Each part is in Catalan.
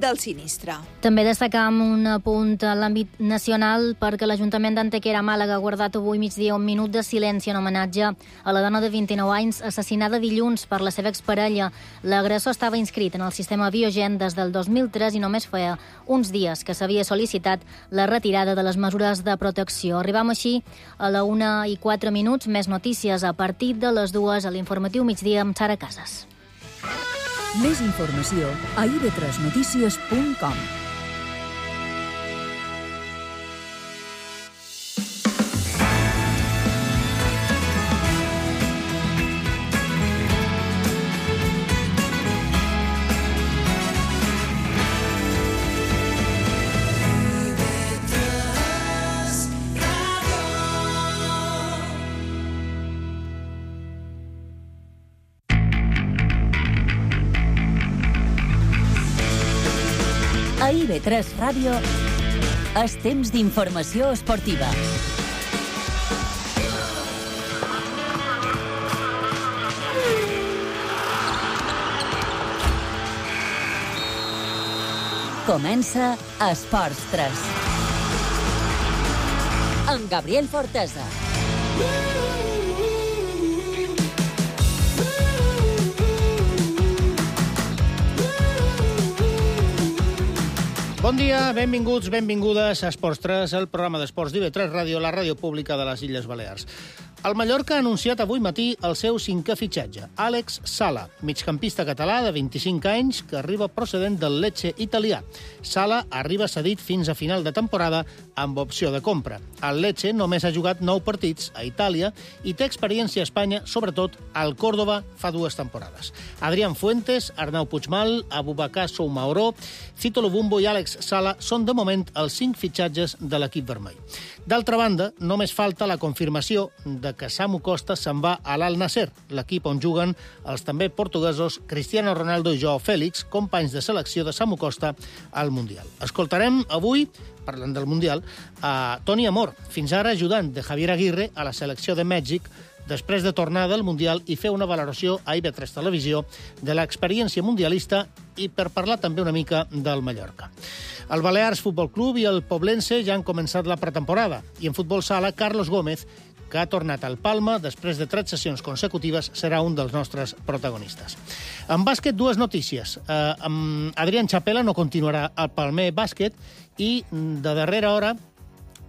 del sinistre. També destacam un apunt a l'àmbit nacional perquè l'Ajuntament d'Antequera, Màlaga, ha guardat avui migdia un minut de silenci en homenatge a la dona de 29 anys assassinada dilluns per la seva exparella. L'agressor estava inscrit en el sistema Biogen des del 2003 i només feia uns dies que s'havia sol·licitat la retirada de les mesures de protecció. Arribam així a la 1:04, més notícies a partir de les 2 a l'informatiu migdia amb Sara Casas. Més informació a ib3notícies.com. A IB3 Ràdio és temps d'informació esportiva. Comença Esports 3. Amb Gabriel Fortesa. Bon dia, benvinguts, benvingudes a Esports 3, el programa d'esports d'IB3 Ràdio, la ràdio pública de les Illes Balears. El Mallorca ha anunciat avui matí el seu 5è fitxatge, Àlex Sala, migcampista català de 25 anys que arriba procedent del Lecce italià. Sala arriba cedit fins a final de temporada amb opció de compra. El Lecce només ha jugat 9 partits a Itàlia i té experiència a Espanya, sobretot al Córdoba, fa 2 temporades. Adrián Fuentes, Arnau Puigmal, Abubakar Soumaoro, Cito Lubumbo i Àlex Sala són de moment els 5 fitxatges de l'equip vermell. D'altra banda, només falta la confirmació de que Samu Costa se'n va a l'Al Nasser, l'equip on juguen els també portuguesos Cristiano Ronaldo i Joao Félix, companys de selecció de Samu Costa al Mundial. Escoltarem avui, parlant del Mundial, a Toni Amor, fins ara ajudant de Javier Aguirre a la selecció de Mèxic, després de tornar del Mundial i fer una valoració a IB3 Televisió de l'experiència mundialista i per parlar també una mica del Mallorca. El Balears Futbol Club i el Poblense ja han començat la pretemporada i en futbol sala, Carlos Gómez, que ha tornat al Palma després de 3 sessions consecutives, serà un dels nostres protagonistes. En bàsquet, 2 notícies. Adrián Chapela no continuarà al Palmer Bàsquet i de darrera hora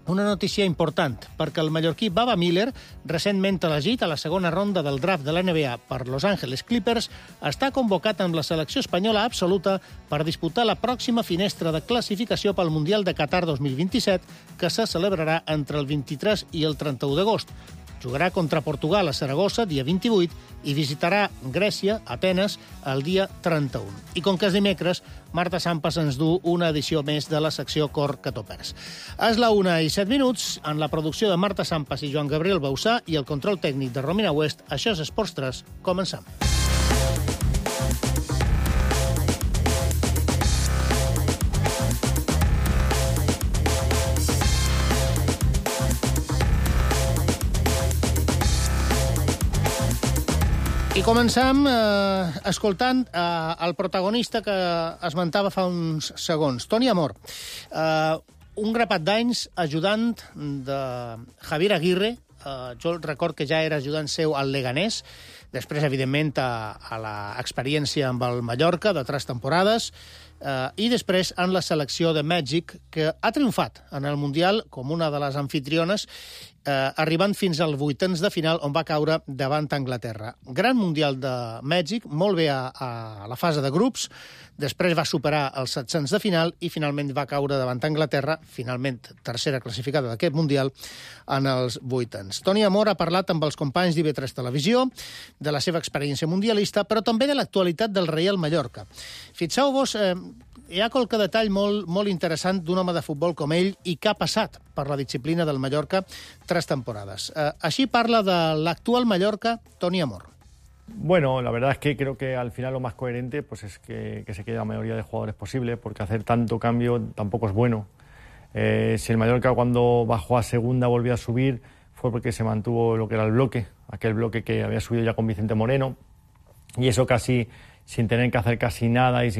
una notícia important, perquè el mallorquí Baba Miller, recentment elegit a la segona ronda del draft de la NBA per Los Angeles Clippers, està convocat amb la selecció espanyola absoluta per disputar la pròxima finestra de classificació pel Mundial de Qatar 2027, que se celebrarà entre el 23 i el 31 d'agost. Jugarà contra Portugal a Saragossa, dia 28, i visitarà Grècia, Atenes, el dia 31. I com que és dimecres, Marta Sampas ens du una edició més de la secció Cor que t'ho perds. És la 1:07, en la producció de Marta Sampas i Joan Gabriel Bausà i el control tècnic de Romina West. Això és Esports 3. Comencem. I comencem escoltant el protagonista que esmentava fa uns segons, Toni Amor. Un grapat d'anys ajudant de Javier Aguirre. Jo record que ja era ajudant seu al Leganés, després, evidentment, a l'experiència amb el Mallorca de 3 temporades, i després en la selecció de Mèxic, que ha triomfat en el Mundial com una de les anfitriones, arribant fins als 8ens de final, on va caure davant Anglaterra. Gran Mundial de Mèxic, molt bé a la fase de grups, després va superar els 700 de final i finalment va caure davant Anglaterra, finalment tercera classificada d'aquest Mundial, en els 8ens. Toni Amor ha parlat amb els companys d'IB3 Televisió de la seva experiència mundialista, però també de l'actualitat del Reial Mallorca. Fixeu-vos, hi ha qualque detall molt interessant d'un home de futbol com ell i que ha passat per la disciplina del Mallorca 3 temporadas. Així parla de l'actual Mallorca, Toni Amor. Bueno, la verdad es que creo que al final lo más coherente pues es que se quede la mayoría de jugadores posible, porque hacer tanto cambio tampoco es bueno. Si el Mallorca cuando bajó a segunda volvió a subir fue porque se mantuvo lo que era el bloque, aquel bloque que había subido ya con Vicente Moreno, y eso casi sin tener que hacer casi nada y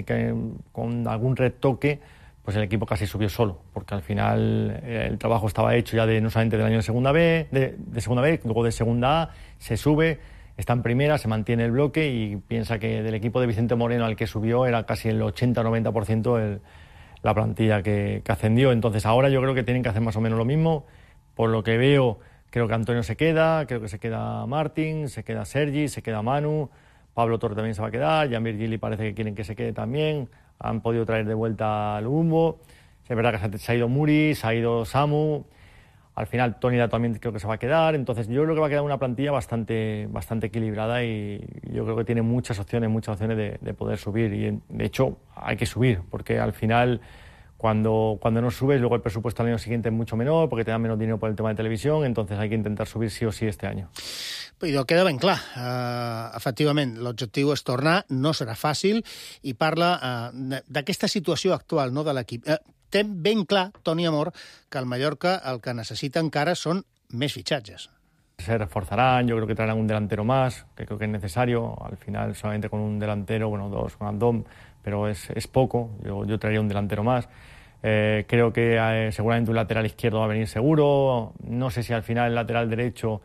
con algún retoque, pues el equipo casi subió solo, porque al final el trabajo estaba hecho ya no solamente del año de segunda B, de segunda B, luego de segunda A, se sube, está en primera, se mantiene el bloque y piensa que del equipo de Vicente Moreno al que subió era casi el 80-90% la plantilla que ascendió. Entonces ahora yo creo que tienen que hacer más o menos lo mismo. Por lo que veo, creo que Antonio se queda, creo que se queda Martín, se queda Sergi, se queda Manu, Pablo Torre también se va a quedar, Jan Virgili parece que quieren que se quede también, han podido traer de vuelta al Bumbo, es verdad que se ha ido Muri, se ha ido Samu, al final Tony también creo que se va a quedar, entonces yo creo que va a quedar una plantilla bastante equilibrada y yo creo que tiene muchas opciones de poder subir y de hecho hay que subir porque al final cuando no subes luego el presupuesto al año siguiente es mucho menor porque te dan menos dinero por el tema de televisión, entonces hay que intentar subir sí o sí este año. Però queda ben clar, efectivament, l'objectiu és tornar, no serà fàcil, i parla d'aquesta situació actual no, de l'equip. Té ben clar, Toni Amor, que el Mallorca el que necessita encara són més fitxatges. Se reforzarán, yo creo que traerán un delantero más, que creo que es necesario, al final solamente con un delantero, bueno, dos con Andón, pero es poco, yo traería un delantero más. Creo que seguramente un lateral izquierdo va a venir seguro, no sé si al final el lateral derecho...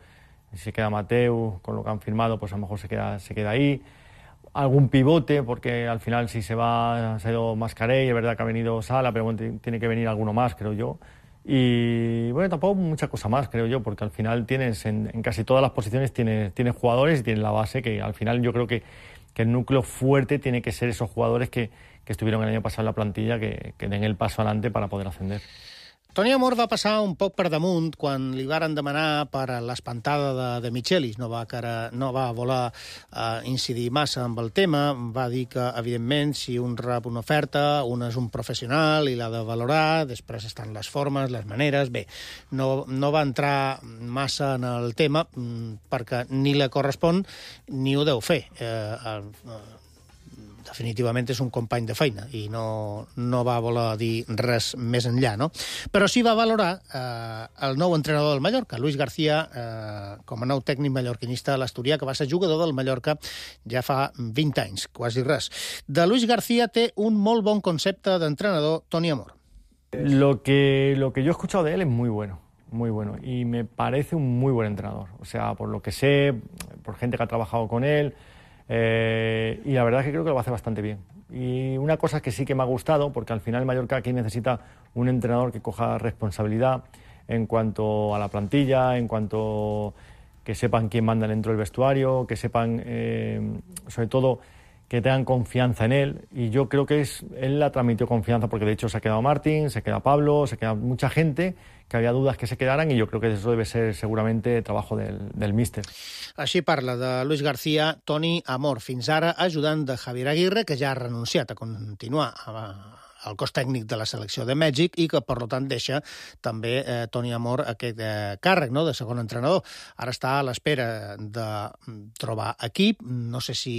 Si se queda Mateu, con lo que han firmado, pues a lo mejor se queda ahí. Algún pivote, porque al final si se ha ido Mascarell, es verdad que ha venido Sala, pero bueno, tiene que venir alguno más, creo yo. Y bueno, tampoco mucha cosa más, creo yo, porque al final tienes en casi todas las posiciones tienes jugadores y tienes la base, que al final yo creo que el núcleo fuerte tiene que ser esos jugadores que estuvieron el año pasado en la plantilla, que den el paso adelante para poder ascender. Toni Amor va passar un poc per damunt quan li varen demanar per a l'espantada de Michelis. No va voler incidir massa amb el tema. Va dir que, evidentment, si un rep una oferta, un és un professional i l'ha de valorar, després estan les formes, les maneres... Bé, no va entrar massa en el tema perquè ni li correspon ni ho deu fer. Definitivament és un company de feina i no va voler dir res més enllà, no? Però sí va valorar el nou entrenador del Mallorca, Luis García, com a nou tècnic mallorquinista a l'Asturià, que va ser jugador del Mallorca ja fa 20 anys, quasi res. De Luis García té un molt bon concepte d'entrenador, Toni Amor. Lo que yo he escuchado de él es muy bueno, y me parece un muy buen entrenador. O sea, por lo que sé, por gente que ha trabajado con él, y la verdad es que creo que lo va a hacer bastante bien. Y una cosa que sí que me ha gustado, porque al final el Mallorca aquí necesita un entrenador que coja responsabilidad en cuanto a la plantilla, en cuanto que sepan quién manda dentro del vestuario, que sepan, sobre todo, que tengan confianza en él. Y yo creo que él la transmitió confianza, porque de hecho se ha quedado Martín, se queda Pablo, se queda mucha gente, que había dudas que se quedaran, y yo creo que eso debe ser seguramente trabajo del míster. Així parla de Luis García, Toni Amor, fins ara ajudant de Javier Aguirre, que ja ha renunciat a continuar al cos tècnic de la selecció de Mèxic i que, per tant, deixa també Toni Amor aquest càrrec, no?, de segon entrenador. Ara està a l'espera de trobar equip, no sé si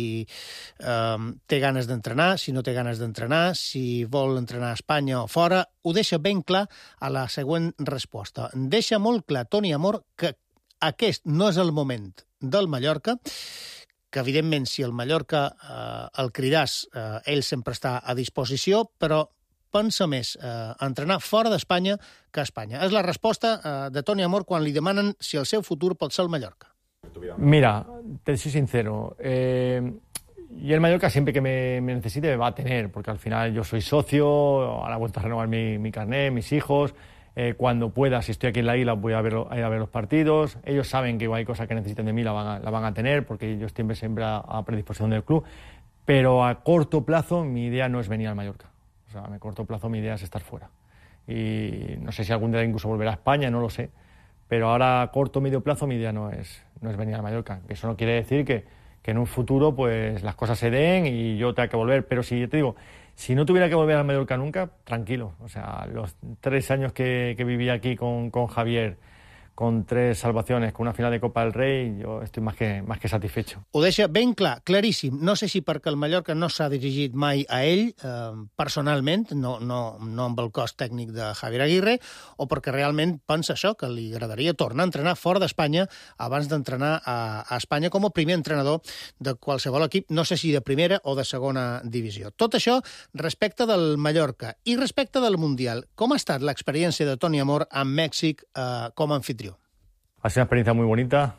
té ganes d'entrenar, si no té ganes d'entrenar, si vol entrenar a Espanya o fora. Ho deixa ben clar a la següent resposta. Deixa molt clar Toni Amor que aquest no és el moment del Mallorca, que evidentment si el Mallorca el cridàs, ell sempre està a disposició, però pensa més entrenar fora d'Espanya que a Espanya. És la resposta de Toni Amor quan li demanen si el seu futur pot ser el Mallorca. Mira, te soy sincero, y el Mallorca siempre que me necesite me va a tener, porque al final yo soy socio, ahora he vuelto a renovar mi carnet, mis hijos. Cuando pueda, si estoy aquí en la isla, voy a ir a ver los partidos. Ellos saben que hay cosas que necesiten de mí, la van a tener, porque yo siempre a predisposición del club. Pero a corto plazo mi idea no es venir al Mallorca. O sea, a corto plazo mi idea es estar fuera. Y no sé si algún día incluso volverá a España, no lo sé. Pero ahora a corto o medio plazo mi idea no es venir al Mallorca. Eso no quiere decir que en un futuro pues las cosas se den y yo tenga que volver. Pero si te digo, si no tuviera que volver al Mallorca nunca, tranquilo. O sea, los 3 años que viví aquí con Javier, con 3 salvaciones, con una final de Copa del Rei, jo estic més que satisfecho. Ho deixa ben clar, claríssim. No sé si perquè el Mallorca no s'ha dirigit mai a ell, personalment, no amb el cos tècnic de Javier Aguirre, o perquè realment pensa això, que li agradaria tornar a entrenar fora d'Espanya abans d'entrenar a Espanya com a primer entrenador de qualsevol equip, no sé si de primera o de segona divisió. Tot això respecte del Mallorca. I respecte del Mundial, com ha estat l'experiència de Toni Amor amb Mèxic com a anfitrió? Ha sido una experiencia muy bonita,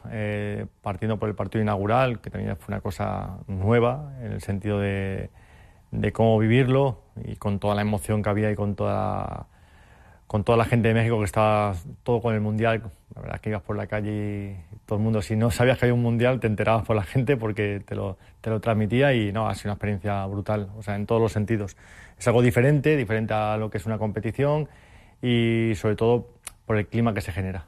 partiendo por el partido inaugural, que también fue una cosa nueva, en el sentido de cómo vivirlo, y con toda la emoción que había y con toda la gente de México que estaba todo con el Mundial. La verdad es que ibas por la calle y todo el mundo, si no sabías que había un Mundial, te enterabas por la gente porque te lo transmitía, y no, ha sido una experiencia brutal, o sea, en todos los sentidos. Es algo diferente a lo que es una competición, y sobre todo por el clima que se genera.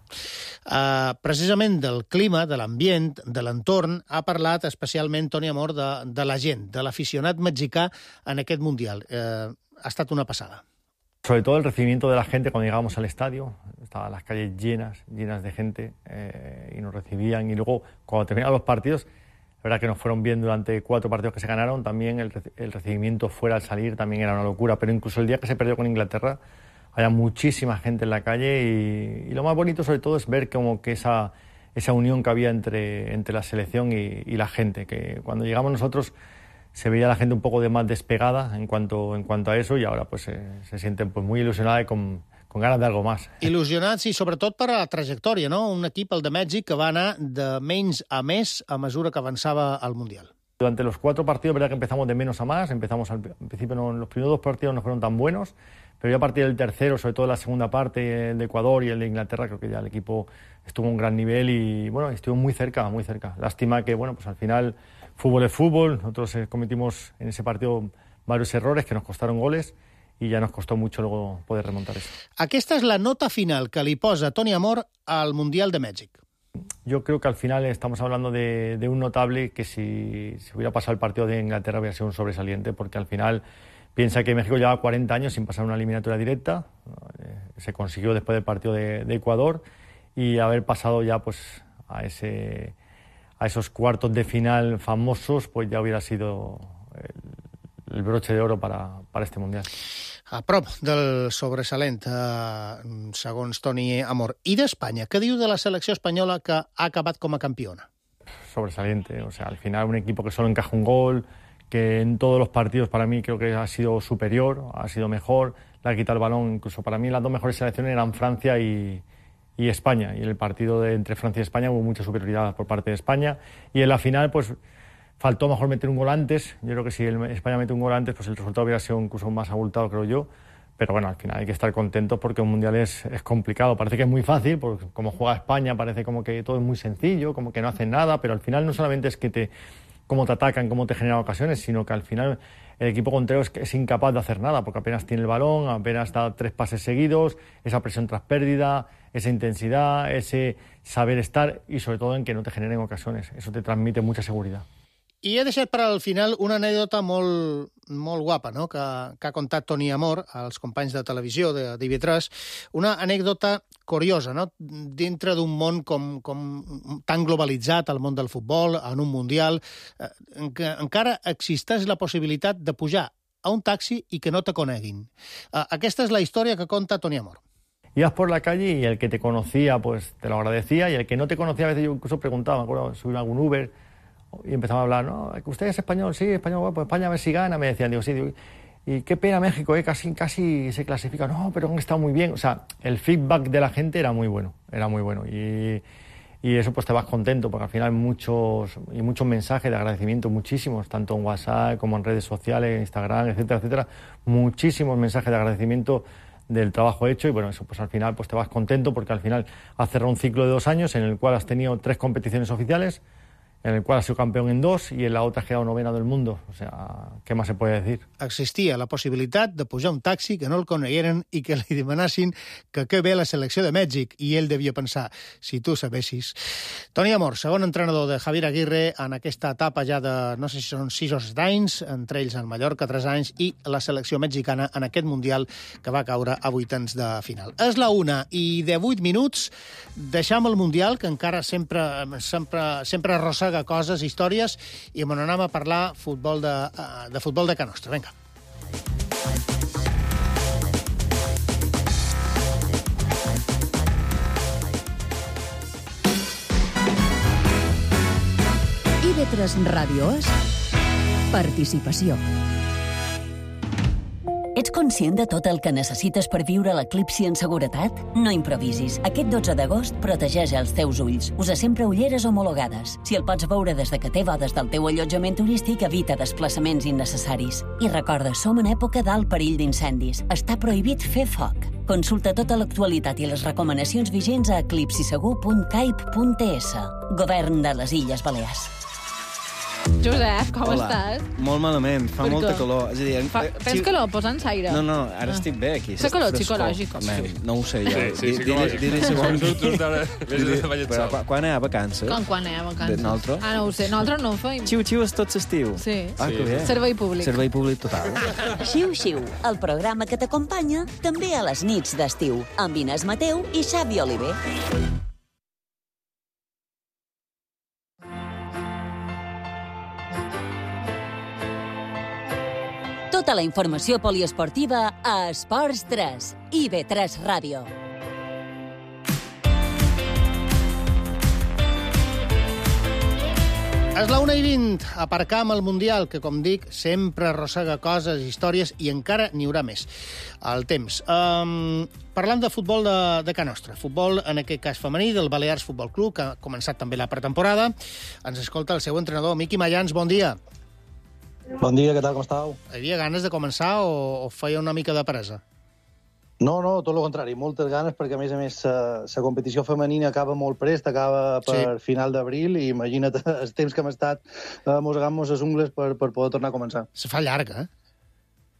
Precisament del clima, de l'ambient, de l'entorn, ha parlat especialment Toni Amor de la gent, de l'aficionat mexicà en aquest Mundial. Ha estat una passada. Sobre todo el recibimiento de la gente cuando llegábamos al estadio, estaban las calles llenas de gente, y nos recibían, y luego cuando terminaban los partidos, la verdad que nos fueron bien durante 4 partidos que se ganaron, también el recibimiento fuera al salir también era una locura, pero incluso el día que se perdió con Inglaterra, había muchísima gente en la calle, y lo más bonito sobre todo es ver como que esa unión que había entre la selección y la gente, que cuando llegamos nosotros se veía la gente un poco más despegada en cuanto a eso, y ahora pues se sienten pues muy ilusionada y con ganas de algo más. Il·lusionats i sobretot per a la trajectòria, no? Un equip, el de Mèxic, que va anar de menys a més a mesura que avançava al Mundial. Durante los 4 partidos, verdad que empezamos de menos a más, empezamos al principio, los primeros 2 partidos no fueron tan buenos, pero ya a partir del tercero, sobre todo la segunda parte, el de Ecuador y el de Inglaterra, creo que ya el equipo estuvo a un gran nivel y bueno, estuvo muy cerca. Lástima que bueno, pues al final fútbol es fútbol, nosotros cometimos en ese partido varios errores que nos costaron goles y ya nos costó mucho luego poder remontar eso. Aquesta és la nota final que li posa Toni Amor al Mundial de Mèxic. Yo creo que al final estamos hablando de un notable que si hubiera pasado el partido de Inglaterra hubiera sido un sobresaliente, porque al final piensa que México lleva 40 años sin pasar una eliminatoria directa, se consiguió después del partido de Ecuador, y haber pasado ya pues a esos cuartos de final famosos, pues ya hubiera sido el broche de oro para este Mundial. A prop del sobresalent, segons Toni Amor. I d'Espanya? Què diu de la selecció espanyola que ha acabat com a campiona? Sobresaliente, o sea, al final un equipo que solo encaja un gol, que en todos los partidos para mí creo que ha sido superior, ha sido mejor, le ha quitado el balón, incluso para mí las 2 mejores selecciones eran Francia y España, y en el partido entre Francia y España hubo mucha superioridad por parte de España, y en la final pues faltó mejor meter un gol antes. Yo creo que si España mete un gol antes, pues el resultado hubiera sido incluso más abultado, creo yo. Pero bueno, al final hay que estar contentos porque un Mundial es complicado. Parece que es muy fácil, porque como juega España parece como que todo es muy sencillo, como que no hacen nada, pero al final no solamente es cómo te atacan, cómo te generan ocasiones, sino que al final el equipo contrario es incapaz de hacer nada, porque apenas tiene el balón, apenas da 3 pases seguidos, esa presión tras pérdida, esa intensidad, ese saber estar, y sobre todo en que no te generen ocasiones. Eso te transmite mucha seguridad. I he deixat per al final una anècdota molt guapa, no?, que ha contat Toni Amor als companys de televisió de TV3. Una anècdota curiosa, no?, dintre d'un món com tan globalitzat, el món del futbol, en un Mundial, en què encara existeix la possibilitat de pujar a un taxi i que no te coneguin. Aquesta és la història que conta Toni Amor. Ibas por la calle y el que te conocía pues te lo agradecía, y el que no te conocía a veces yo incluso preguntaba, me acuerdo, subí a algún Uber y empezaba a hablar, ¿no? ¿Usted es español? Sí, español, bueno, pues España a ver si gana, me decían, digo, sí, digo, y qué pena México, casi se clasifica, no, pero han estado muy bien, o sea, el feedback de la gente era muy bueno, y eso pues te vas contento, porque al final muchos mensajes de agradecimiento, muchísimos, tanto en WhatsApp como en redes sociales, Instagram, etcétera, etcétera, muchísimos mensajes de agradecimiento del trabajo hecho, y bueno, eso pues al final pues te vas contento, porque al final has cerrado un ciclo de 2 años en el cual has tenido 3 competiciones oficiales, en el cual ha sido campeón en 2 y en la otra ha quedado novena del mundo. O sea, ¿qué más se puede decir? Existia la possibilitat de pujar un taxi, que no el conegueren i que li demanassin que ve la selecció de Mèxic. I ell devia pensar, si tu sabessis. Toni Amor, segon entrenador de Javier Aguirre en aquesta etapa ja de, no sé si són 6 o 7 anys, entre ells el Mallorca, 3 anys, i la selecció mexicana en aquest Mundial que va caure a vuitens de final. És la 1:18 minuts. Deixam el Mundial, que encara sempre arrossega coses, històries, i me n'anem a parlar de futbol de Can Nostra. Vinga. IB3 Ràdio és participació. Ets conscient de tot el que necessites per viure l'eclipsi en seguretat? No improvisis. Aquest 12 d'agost protegeix els teus ulls. Usa sempre ulleres homologades. Si el pots veure des de que té bodes del teu allotjament turístic, evita desplaçaments innecessaris. I recorda, som en època d'alt perill d'incendis. Està prohibit fer foc. Consulta tota l'actualitat i les recomanacions vigents a eclipsisegur.caip.ts. Govern de les Illes Balears. Josep, com estàs? Molt malament, fa molta calor. És a dir, Tens calor? Posa'ns aire. No, ara estic bé aquí. Fa calor psicològic. No ho sé jo. Sí, psicològic. Dir-li segons... Quan hi ha vacances? Quan hi ha vacances? Nosaltres? No ho sé. Nosaltres no ho feim. Xiu-xiu és tot l'estiu. Sí. Que bé. Servei públic. Servei públic total. Xiu-xiu, el programa que t'acompanya també a les nits d'estiu, amb Inés Mateu i Xavi Oliver. Tota la informació poliesportiva a Esports 3, IB3 Ràdio. És la 1:20, aparcam el Mundial, que, com dic, sempre arrossega coses, històries, i encara n'hi haurà més. El temps. Parlant de futbol de Can Nostra, futbol, en aquest cas femení, del Balears Futbol Club, que ha començat també la pretemporada. Ens escolta el seu entrenador, Miqui Mayans. Bon dia. Bon dia, què tal, com estàu? Hi havia ganes de començar o feia una mica de presa? No, tot el contrari, moltes ganes, perquè a més la competició femenina acaba molt prest, acaba per final d'abril, i imagina't els temps que hem estat mosegant-nos les ungles per poder tornar a començar. Se fa llarga, eh?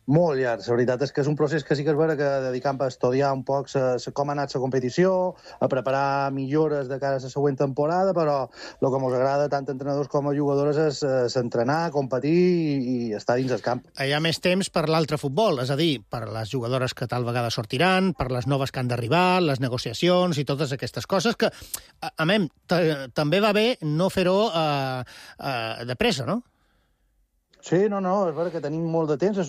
Molt llarg. La veritat és que és un procés que sí que és vera que dedicam a estudiar un poc com ha anat la competició, a preparar millores de cara a la següent temporada, però el que ens agrada tant a entrenadors com a jugadores és entrenar, competir i estar dins el camp. Hi ha més temps per l'altre futbol, és a dir, per les jugadores que tal vegada sortiran, per les noves que han d'arribar, les negociacions i totes aquestes coses que, també va bé no fer-ho de pressa, no? Sí, és vera que tenim molt de temps, té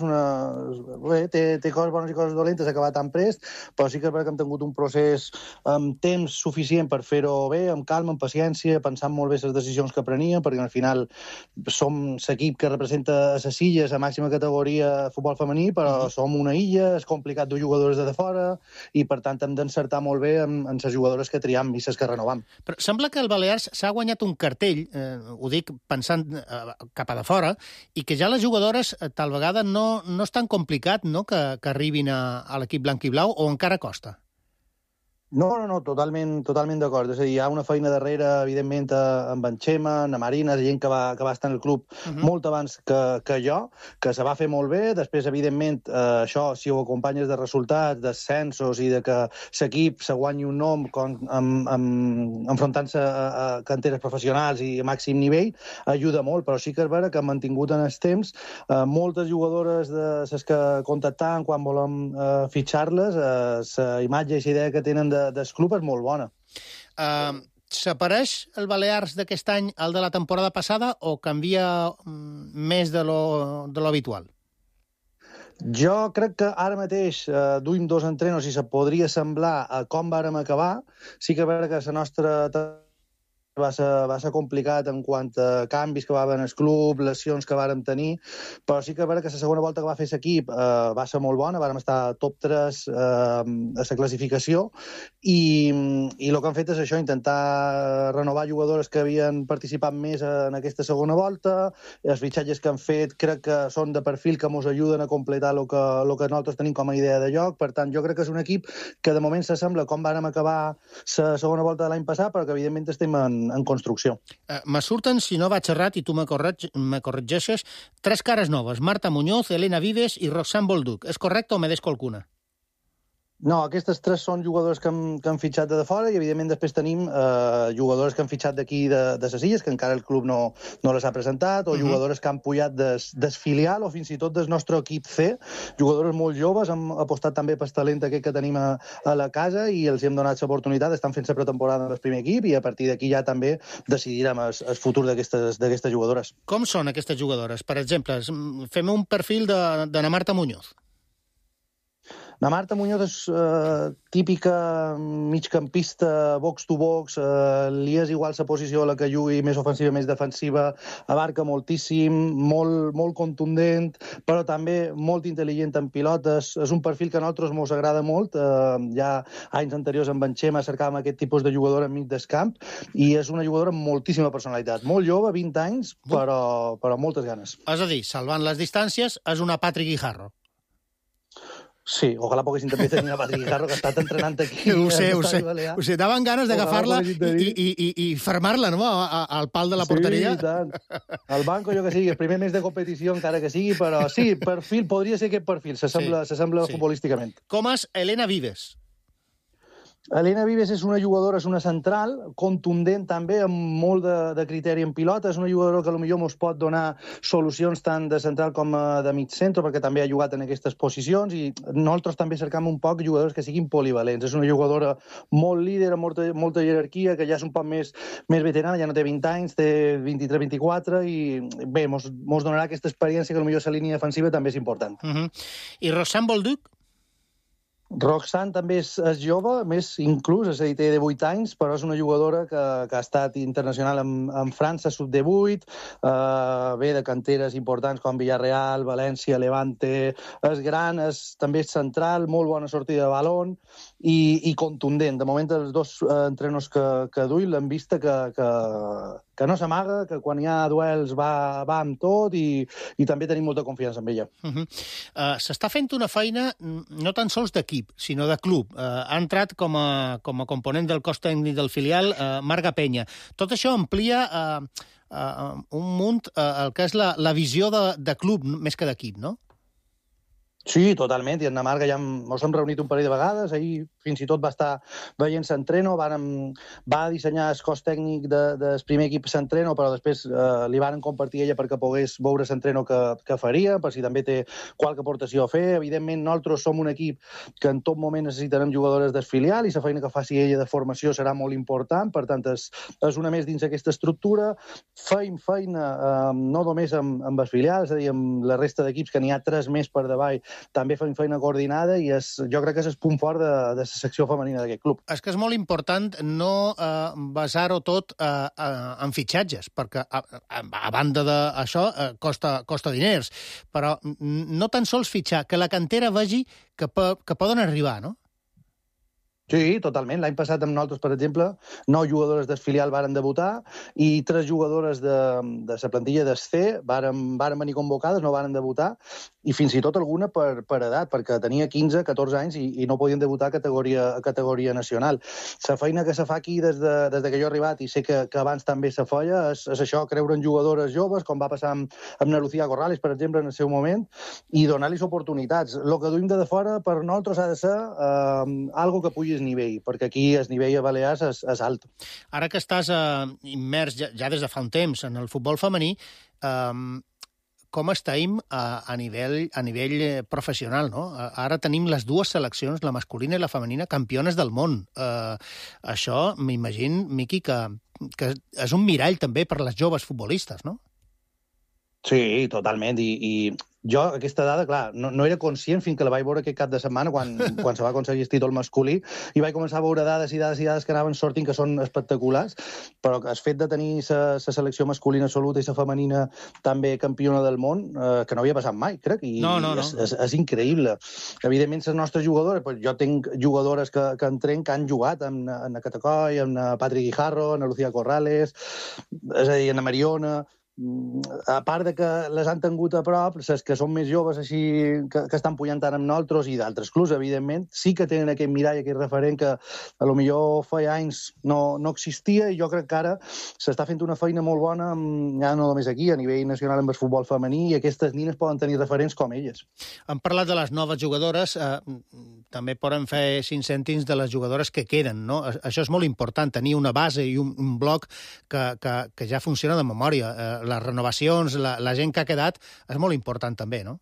coses bones i coses dolentes acabar tan prest, però sí que és vera que hem tingut un procés amb temps suficient per fer-ho bé, amb calma, amb paciència, pensant molt bé les decisions que preníem, perquè al final som l'equip que representa a les illes a màxima categoria de futbol femení, però som una illa, és complicat dur jugadores de fora, i per tant hem d'encertar molt bé en les jugadores que triam i les que renovam. Però sembla que el Balears s'ha guanyat un cartell, ho dic pensant cap a de fora, i que ja les jugadores tal vegada no és tan complicat, no?, que arribin a l'equip blanc i blau, o encara costa? No, totalment d'acord. És a dir, hi ha una feina darrere, evidentment, amb en Xema, en Marina, gent que va estar en el club molt abans que jo, que se va fer molt bé. Després, evidentment, això, si ho acompanyes de resultats, d'ascensos i de que l'equip se guanyi un nom enfrontant-se a canteres professionals i a màxim nivell, ajuda molt, però sí que és vera que hem mantingut en els temps moltes jugadores de les que contactaven quan volem fitxar-les, la imatge i la idea que tenen del club és molt bona. S'apareix el Balears d'aquest any al de la temporada passada o canvia més de lo habitual? Jo crec que ara mateix duim 2 entrenos i se podria semblar a com vàrem acabar. Sí que és vera que la nostra va ser complicat en quant a canvis que va haver en el club, lesions que vàrem tenir, però sí que és vera que la segona volta que va fer l'equip va ser molt bona, vàrem estar top 3 a la classificació, i el que han fet és això, intentar renovar jugadores que havien participat més en aquesta segona volta. Els fitxatges que han fet crec que són de perfil que ens ajuden a completar el que nosaltres tenim com a idea de joc. Per tant, jo crec que és un equip que de moment s'assembla com vàrem acabar la segona volta de l'any passat, però que evidentment estem en en construcció. Me surten, si no vaig errat, i tu me corregeixes, 3 cares noves, Marta Muñoz, Elena Vives i Roxane Bolduc. És correcte o me deixo alguna? No, aquestes 3 són jugadors que han fitxat de fora i, evidentment, després tenim jugadores que han fitxat d'aquí de ses Illes, que encara el club no les ha presentat, o jugadores que han pujat des filial o fins i tot del nostre equip C, jugadores molt joves, hem apostat també pel talent aquest que tenim a la casa i els hem donat l'oportunitat, estan fent la pretemporada en el primer equip i a partir d'aquí ja també decidirem el futur d'aquestes jugadores. Com són aquestes jugadores? Per exemple, fem un perfil de na Marta Muñoz. La Marta Muñoz és típica migcampista, box-to-box, li és igual la posició a la que jugui, més ofensiva, més defensiva, abarca moltíssim, molt contundent, però també molt intel·ligent en pilotes. És un perfil que a nosaltres ens agrada molt. Ja anys anteriors amb en Xema cercàvem aquest tipus de jugador enmig del camp i és una jugadora amb moltíssima personalitat. Molt jove, 20 anys, però moltes ganes. És a dir, salvant les distàncies, és una Patrick Guijarro. Sí, ojalà poguessin també tenir una Patrick Guijarro que ha estat entrenant aquí. Ho sé. Daven ganes d'agafar-la i fermar-la, no?, al pal de la porteria. Sí, i tant. Al banco, jo que sigui, el primer mes de competició, encara que sigui, però sí, perfil, podria ser aquest perfil, s'assembla futbolísticament. Com és Elena Vives? Elena Vives és una jugadora, és una central, contundent també, amb molt de criteri en pilota. És una jugadora que potser ens pot donar solucions tant de central com de mig centre, perquè també ha jugat en aquestes posicions, i nosaltres també cercam un poc jugadors que siguin polivalents. És una jugadora molt líder, amb molta jerarquia, que ja és un poc més veterana, ja no té 20 anys, té 23-24, i bé, ens donarà aquesta experiència que potser la línia defensiva també és important. I Roxane Bolduc? Roxane també és jove, més inclús, és a dir, té 18 anys, però és una jugadora que ha estat internacional en França, sub-18, ve de canteres importants com Villarreal, València, Levante, és gran, també és central, molt bona sortida de balón i contundent. De moment, els dos entrenadors que duim l'hem vista que no s'amaga, que quan hi ha duels va amb tot i també tenim molta confiança en ella. S'està fent una feina no tan sols d'equip, sinó de club. Ha entrat com a component del cos tècnic del filial Marga Penya. Tot això amplia un munt el que és la visió de club més que d'equip, no? Sí, totalment, i en la Marga ja ens hem reunit un parell de vegades, ahir fins i tot va estar veient s'entreno, va dissenyar el cos tècnic del primer equip s'entreno, però després li van compartir ella perquè pogués veure s'entreno que faria, per si també té qualque aportació a fer. Evidentment, nosaltres som un equip que en tot moment necessitarem jugadores del filial i la feina que faci ella de formació serà molt important, per tant, és una més dins aquesta estructura. Feim feina no només amb el filial, és a dir, amb la resta d'equips, que n'hi ha 3 més per davall, també fem feina coordinada i jo crec que és el punt fort de la secció femenina d'aquest club. És que és molt important no basar-ho tot en fitxatges, perquè a banda d'això costa diners, però no tan sols fitxar, que la cantera vegi que poden arribar, no? Sí, totalment. L'any passat amb nosaltres, per exemple, 9 jugadores del filial varen debutar i 3 jugadores de la plantilla del C varen venir convocades, no varen debutar, i fins i tot alguna per edat, perquè tenia 15-14 anys i no podien debutar a categoria nacional. La feina que se fa aquí des que jo he arribat, i sé que abans també se feia, és això, creure en jugadores joves, com va passar amb na Lucía Corrales, per exemple, en el seu moment, i donar-los oportunitats. El que duim de fora per nosaltres ha de ser algo que pugi nivell, perquè aquí el nivell a Balears és alt. Ara que estàs immers ja des de fa un temps en el futbol femení, com estem a nivell professional, no? Ara tenim les 2 seleccions, la masculina i la femenina, campiones del món. Això, m'imagino, Miqui, que és un mirall també per les joves futbolistes, no? Sí, totalment, i jo aquesta dada, clar, no era conscient fins que la vaig veure aquest cap de setmana quan se va aconseguir el títol masculí i vaig començar a veure dades i dades que anaven sortint que són espectaculars, però el fet de tenir la selecció masculina absoluta i la femenina també campiona del món, que no havia passat mai, crec, i no. És increïble. Evidentment, les nostres jugadores, jo tinc jugadores que entren que han jugat amb na Catacoi, amb na Patrick Guijarro, amb na Lucía Corrales, és a dir, amb na Mariona. a part de que les han tingut a prop, les que són més joves així, que estan pujant tant amb nosaltres i d'altres clubs, evidentment, sí que tenen aquest mirall, aquest referent que a lo millor feia anys no existia, i jo crec que ara s'està fent una feina molt bona, ja no només aquí, a nivell nacional amb el futbol femení, i aquestes nines poden tenir referents com elles. Hem parlat de les noves jugadores, també poden fer 5 cèntims de les jugadores que queden, no? Això és molt important, tenir una base i un bloc que ja funciona de memòria. Les renovacions, la gent que ha quedat, és molt important també, no?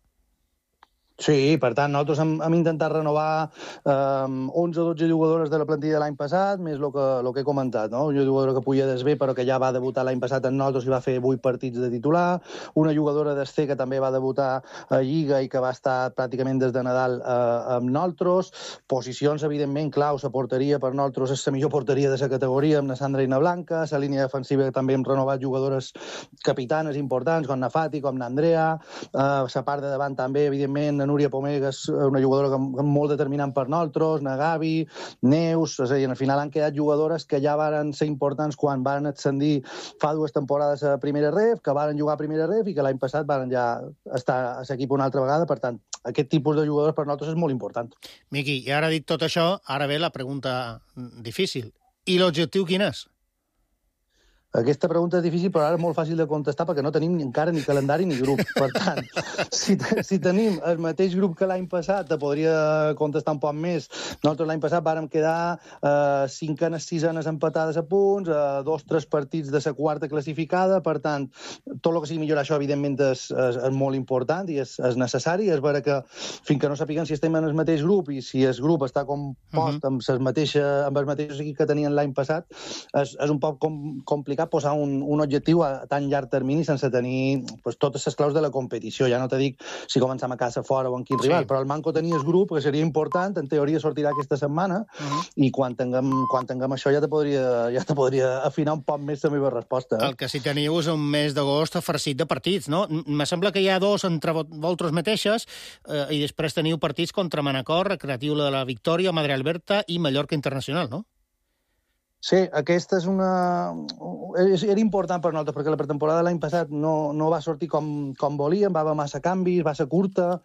Sí, per tant, nosaltres hem intentat renovar 11 o 12 jugadores de la plantilla de l'any passat, més el que he comentat, no? Una jugadora que puja des B, però que ja va debutar l'any passat amb nosaltres i va fer 8 partits de titular, una jugadora des C que també va debutar a Lliga i que va estar pràcticament des de Nadal amb nosaltres, posicions, evidentment, claus, la porteria per nosaltres és la millor porteria de la categoria, amb la Sandra i na Blanca, la línia defensiva també hem renovat jugadores capitanes importants, com na Fati, com na Andrea, la part de davant també, evidentment, Núria Pomega és una jugadora molt determinant per nosaltres, na Gavi, Neus, és a dir, al final han quedat jugadores que ja varen ser importants quan varen ascendir fa 2 temporades a primera ref, que varen jugar a primera ref i que l'any passat varen ja estar a l'equip una altra vegada. Per tant, aquest tipus de jugadors per nosaltres és molt important. Miqui, i ara dit tot això, ara ve la pregunta difícil. I l'objectiu quin és? Aquesta pregunta és difícil, però ara és molt fàcil de contestar perquè no tenim encara ni calendari ni grup. Per tant, si tenim el mateix grup que l'any passat, te podria contestar un poc més. Nosaltres l'any passat vàrem quedar 5enes, 6enes empatades a punts, 2-3 partits de la quarta classificada. Per tant, tot el que sigui millorar això, evidentment, és molt important i és necessari. És vera que fins que no sapiguem si estem en el mateix grup i si el grup està compost amb els mateixos equips que tenien l'any passat, és un poc complicat posar un objectiu a tan llarg termini sense tenir totes les claus de la competició. Ja no te dic si comencem a casa fora o en quin rival, però el manco tenir el grup, que seria important, en teoria sortirà aquesta setmana, i quan tinguem això ja te podria afinar un poc més la meva resposta. El que sí teniu és un mes d'agost farcit de partits, no? Me sembla que hi ha 2 entre vosaltres mateixes i després teniu partits contra Manacor, Recreatiu de la Victòria, Madre Alberta i Mallorca Internacional, no? Sí, aquesta era important per nosaltres, perquè la pretemporada de l'any passat no va sortir com volíem, va haver massa canvis, va ser curta,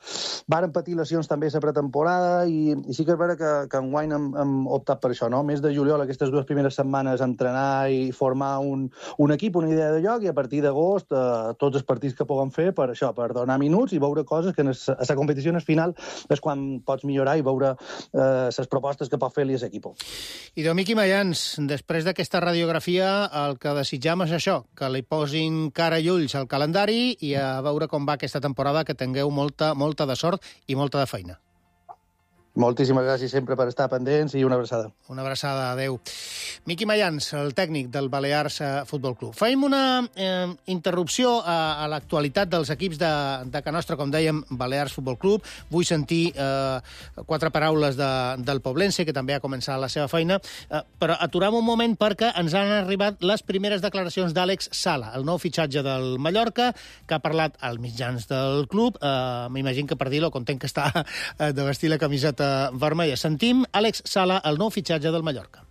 varen patir lesions també a la pretemporada, i sí que és vera que enguany hem optat per això, no? Mes de juliol, aquestes 2 primeres setmanes, entrenar i formar un equip, una idea de joc, i a partir d'agost tots els partits que puguem fer per això, per donar minuts i veure coses que a la competició final és quan pots millorar i veure les propostes que pot fer-li l'equip. I de Miqui Mayans, després d'aquesta radiografia, el que desitjam és això, que li posin cara i ulls al calendari i a veure com va aquesta temporada, que tingueu molta de sort i molta de feina. Moltíssimes gràcies sempre per estar pendents i una abraçada. Una abraçada, adeu. Miqui Mayans, el tècnic del Balears Futbol Club. Fem una interrupció a l'actualitat dels equips de Can Nostra, com dèiem, Balears Futbol Club. Vull sentir 4 paraules del Poblense, que també ha començat la seva feina, però aturem un moment perquè ens han arribat les primeres declaracions d'Àlex Sala, el nou fitxatge del Mallorca, que ha parlat als mitjans del club. M'imagino que per dir-lo content que està de vestir la camiseta vermella. Sentim Àlex Sala, el nou fitxatge del Mallorca.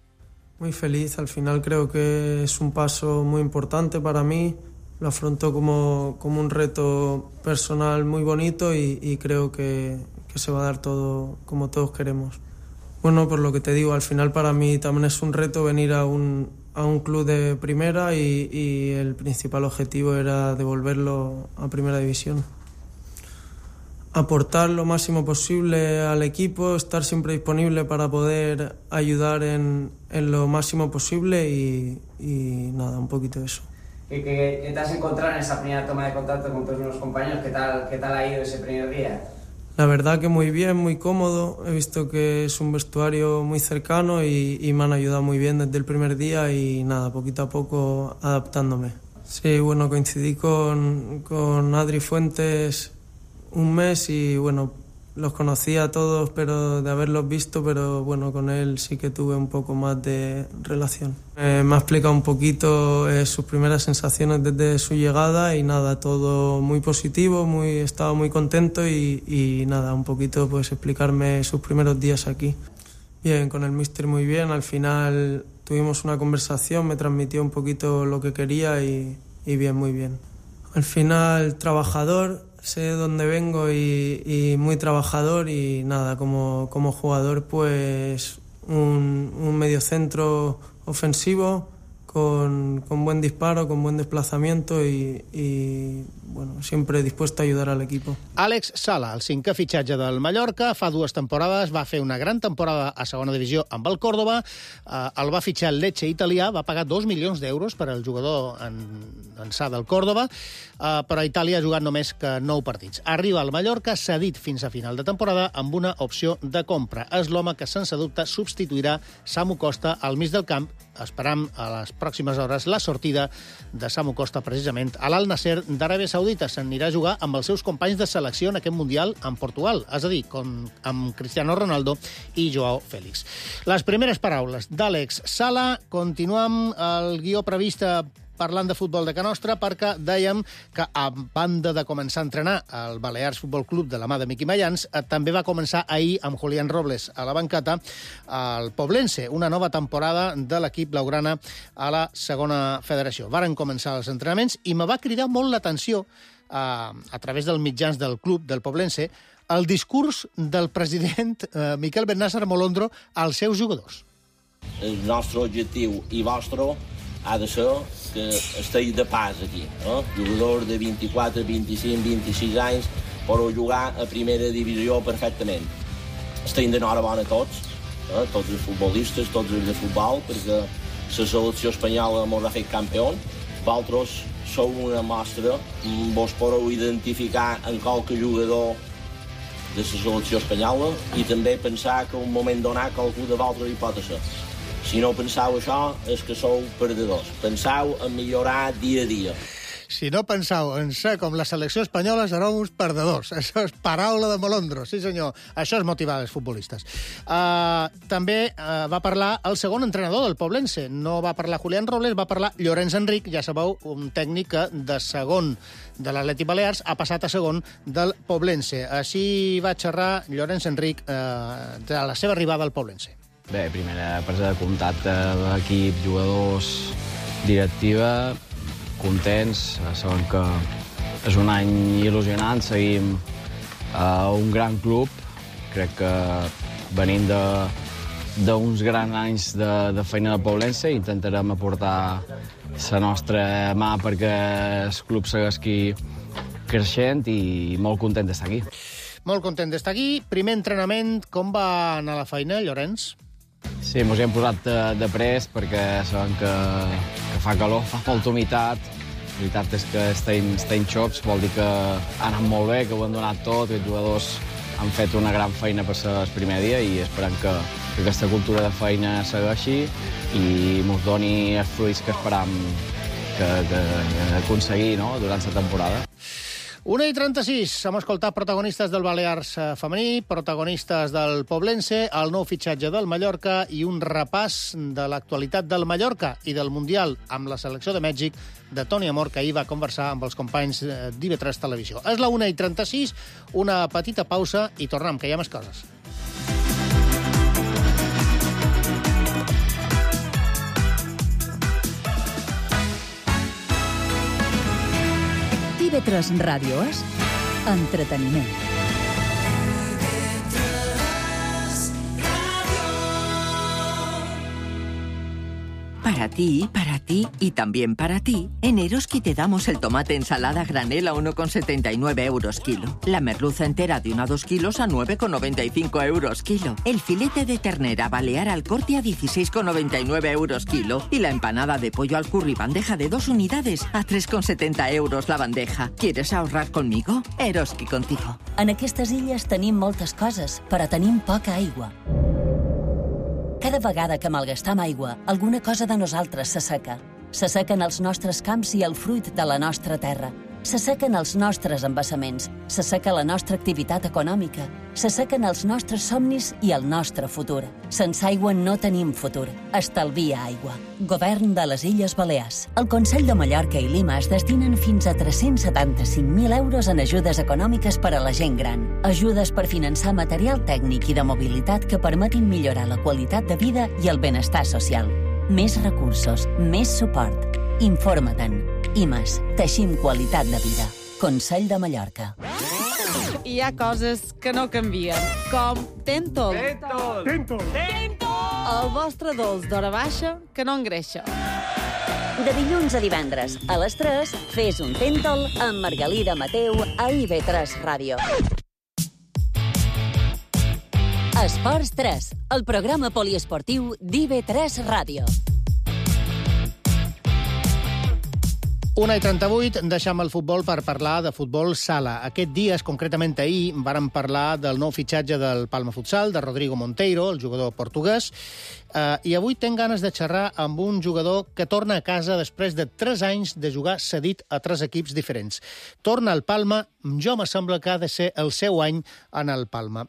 Muy feliz, al final creo que es un paso muy importante para mí, lo afronto como un reto personal muy bonito y creo que se va a dar todo como todos queremos. Bueno, por lo que te digo, al final para mí también es un reto venir a un club de primera y el principal objetivo era devolverlo a primera división. Aportar lo máximo posible al equipo, estar siempre disponible para poder ayudar en lo máximo posible y nada, un poquito de eso. ¿Qué te has encontrado en esa primera toma de contacto con tus nuevos compañeros? ¿Qué tal ha ido ese primer día? La verdad que muy bien, muy cómodo. He visto que es un vestuario muy cercano y me han ayudado muy bien desde el primer día y nada, poquito a poco adaptándome. Sí, bueno, coincidí con Adri Fuentes un mes y bueno, los conocía a todos pero de haberlos visto, pero bueno, con él sí que tuve un poco más de relación. Me ha explicado un poquito sus primeras sensaciones desde su llegada y nada, todo muy positivo, estaba muy contento y nada, un poquito pues explicarme sus primeros días aquí. Bien, con el míster muy bien, al final tuvimos una conversación, me transmitió un poquito lo que quería y bien, muy bien. Al final, trabajador, sé dónde vengo y muy trabajador y nada, como jugador, pues un mediocentro ofensivo con buen disparo, con buen desplazamiento y bueno, siempre dispuesto a ayudar al equipo. Àlex Sala, el 5è fitxatge del Mallorca, fa 2 temporades, va fer una gran temporada a segona divisió amb el Córdoba, el va fitxar el Lecce italià, va pagar 2 milions d'euros per al jugador ençà del Córdoba, però a Itàlia ha jugat només que 9 partits. Arriba al Mallorca, cedit fins a final de temporada, amb una opció de compra. És l'home que, sense dubte, substituirà Samu Costa al mig del camp. Esperam a les pròximes hores la sortida de Samu Costa, precisament, a l'Al Nasser d'Aràbia Saudita. S'anirà a jugar amb els seus companys de selecció en aquest Mundial en Portugal, és a dir, amb Cristiano Ronaldo i Joao Félix. Les primeres paraules d'Àlex Sala. Continuem el guió previst parlant de futbol de Can Nostra, perquè dèiem que, a banda de començar a entrenar el Balears Futbol Club de la mà de Miqui Mayans, també va començar ahir amb Julián Robles a la banqueta el Poblense, una nova temporada de l'equip blaugrana a la segona federació. Varen començar els entrenaments i me va cridar molt l'atenció, a través dels mitjans del club del Poblense, el discurs del president Miquel Bennassar Molondro als seus jugadors. El nostre objectiu i vostre ha de ser que estigueu de pas aquí. Jugadors de 24, 25, 26 anys podeu jugar a primera divisió perfectament. Estem d'enhorabona tots, tots els futbolistes, tots els de futbol, perquè la selecció espanyola ens ha fet campions. Vosaltres sou una mostra, vos podeu identificar en qualque jugador de la selecció espanyola i també pensar que un moment donat qualcú de vosaltres hi pot ser. Si no penseu això, és que sou perdedors. Penseu en millorar dia a dia. Si no penseu en ser com la selecció espanyola, sereu uns perdedors. Això és paraula de Molondro, sí senyor. Això és motivar els futbolistes. També va parlar el segon entrenador del Poblense. No va parlar Julián Robles, va parlar Llorenç Enric, ja sabeu, un tècnic que de segon de l'Atlètic Balears ha passat a segon del Poblense. Així va xerrar Llorenç Enric de la seva arribada al Poblense. Bé, primera presa de contacte amb l'equip, jugadors, directiva, contents, sabem que és un any il·lusionant, seguim a un gran club, crec que venim d'uns grans anys de feina del Poblense, intentarem aportar la nostra mà perquè el club segueixi creixent i molt content d'estar aquí. Molt content d'estar aquí. Primer entrenament, com va anar la feina, Llorenç? Sí, ens hi hem posat de prest perquè sabem que fa calor, fa molta humitat. La veritat és que estem xocs, vol dir que ha anat molt bé, que ho han donat tot, que els jugadors han fet una gran feina per ser el primer dia i esperem que aquesta cultura de feina segueixi i ens doni els fruits que esperam aconseguir durant la temporada. 1:36, hem escoltat protagonistes del Balears femení, protagonistes del Poblense, el nou fitxatge del Mallorca i un repàs de l'actualitat del Mallorca i del Mundial amb la selecció de Mèxic de Toni Amor, que ahir va conversar amb els companys d'IV3 Televisió. És la 1:36, una petita pausa i tornem, que hi ha més coses. TV3 Ràdio és entreteniment. Para ti y también para ti, en Eroski te damos el tomate ensalada granel a 1,79 euros kilo. La merluza entera de 1 a 2 kilos a 9,95 euros kilo. El filete de ternera balear al corte a 16,99 euros kilo. Y la empanada de pollo al curry bandeja de 2 unidades a 3,70 euros la bandeja. ¿Quieres ahorrar conmigo? Eroski contigo. En aquestes illes tenim moltes coses, però tenim poca aigua. Cada vegada que malgastam aigua, alguna cosa de nosaltres s'asseca. S'assequen els nostres camps i el fruit de la nostra terra. S'assequen els nostres embassaments. S'asseca la nostra activitat econòmica. S'assequen els nostres somnis i el nostre futur. Sense aigua no tenim futur. Estalvia aigua. Govern de les Illes Balears. El Consell de Mallorca i Lima es destinen fins a 375.000 euros en ajudes econòmiques per a la gent gran. Ajudes per finançar material tècnic i de mobilitat que permetin millorar la qualitat de vida i el benestar social. Més recursos, més suport. Informa-te'n. IMAS, teixim qualitat de vida. Consell de Mallorca. Hi ha coses que no canvien, com Tentol. Tentol! El vostre dolç d'hora baixa que no engreixa. De dilluns a divendres, a les 3, fes un Tentol amb Margalida Mateu a IB3 Ràdio. Esports 3, el programa poliesportiu d'IB3 Ràdio. 1:38, deixam el futbol per parlar de futbol sala. Aquest dies, concretament ahir, vàrem parlar del nou fitxatge del Palma Futsal, de Rodrigo Monteiro, el jugador portuguès, i avui tenc ganes de xerrar amb un jugador que torna a casa després de 3 anys de jugar cedit a 3 equips diferents. Torna al Palma, jo me sembla que ha de ser el seu any en el Palma.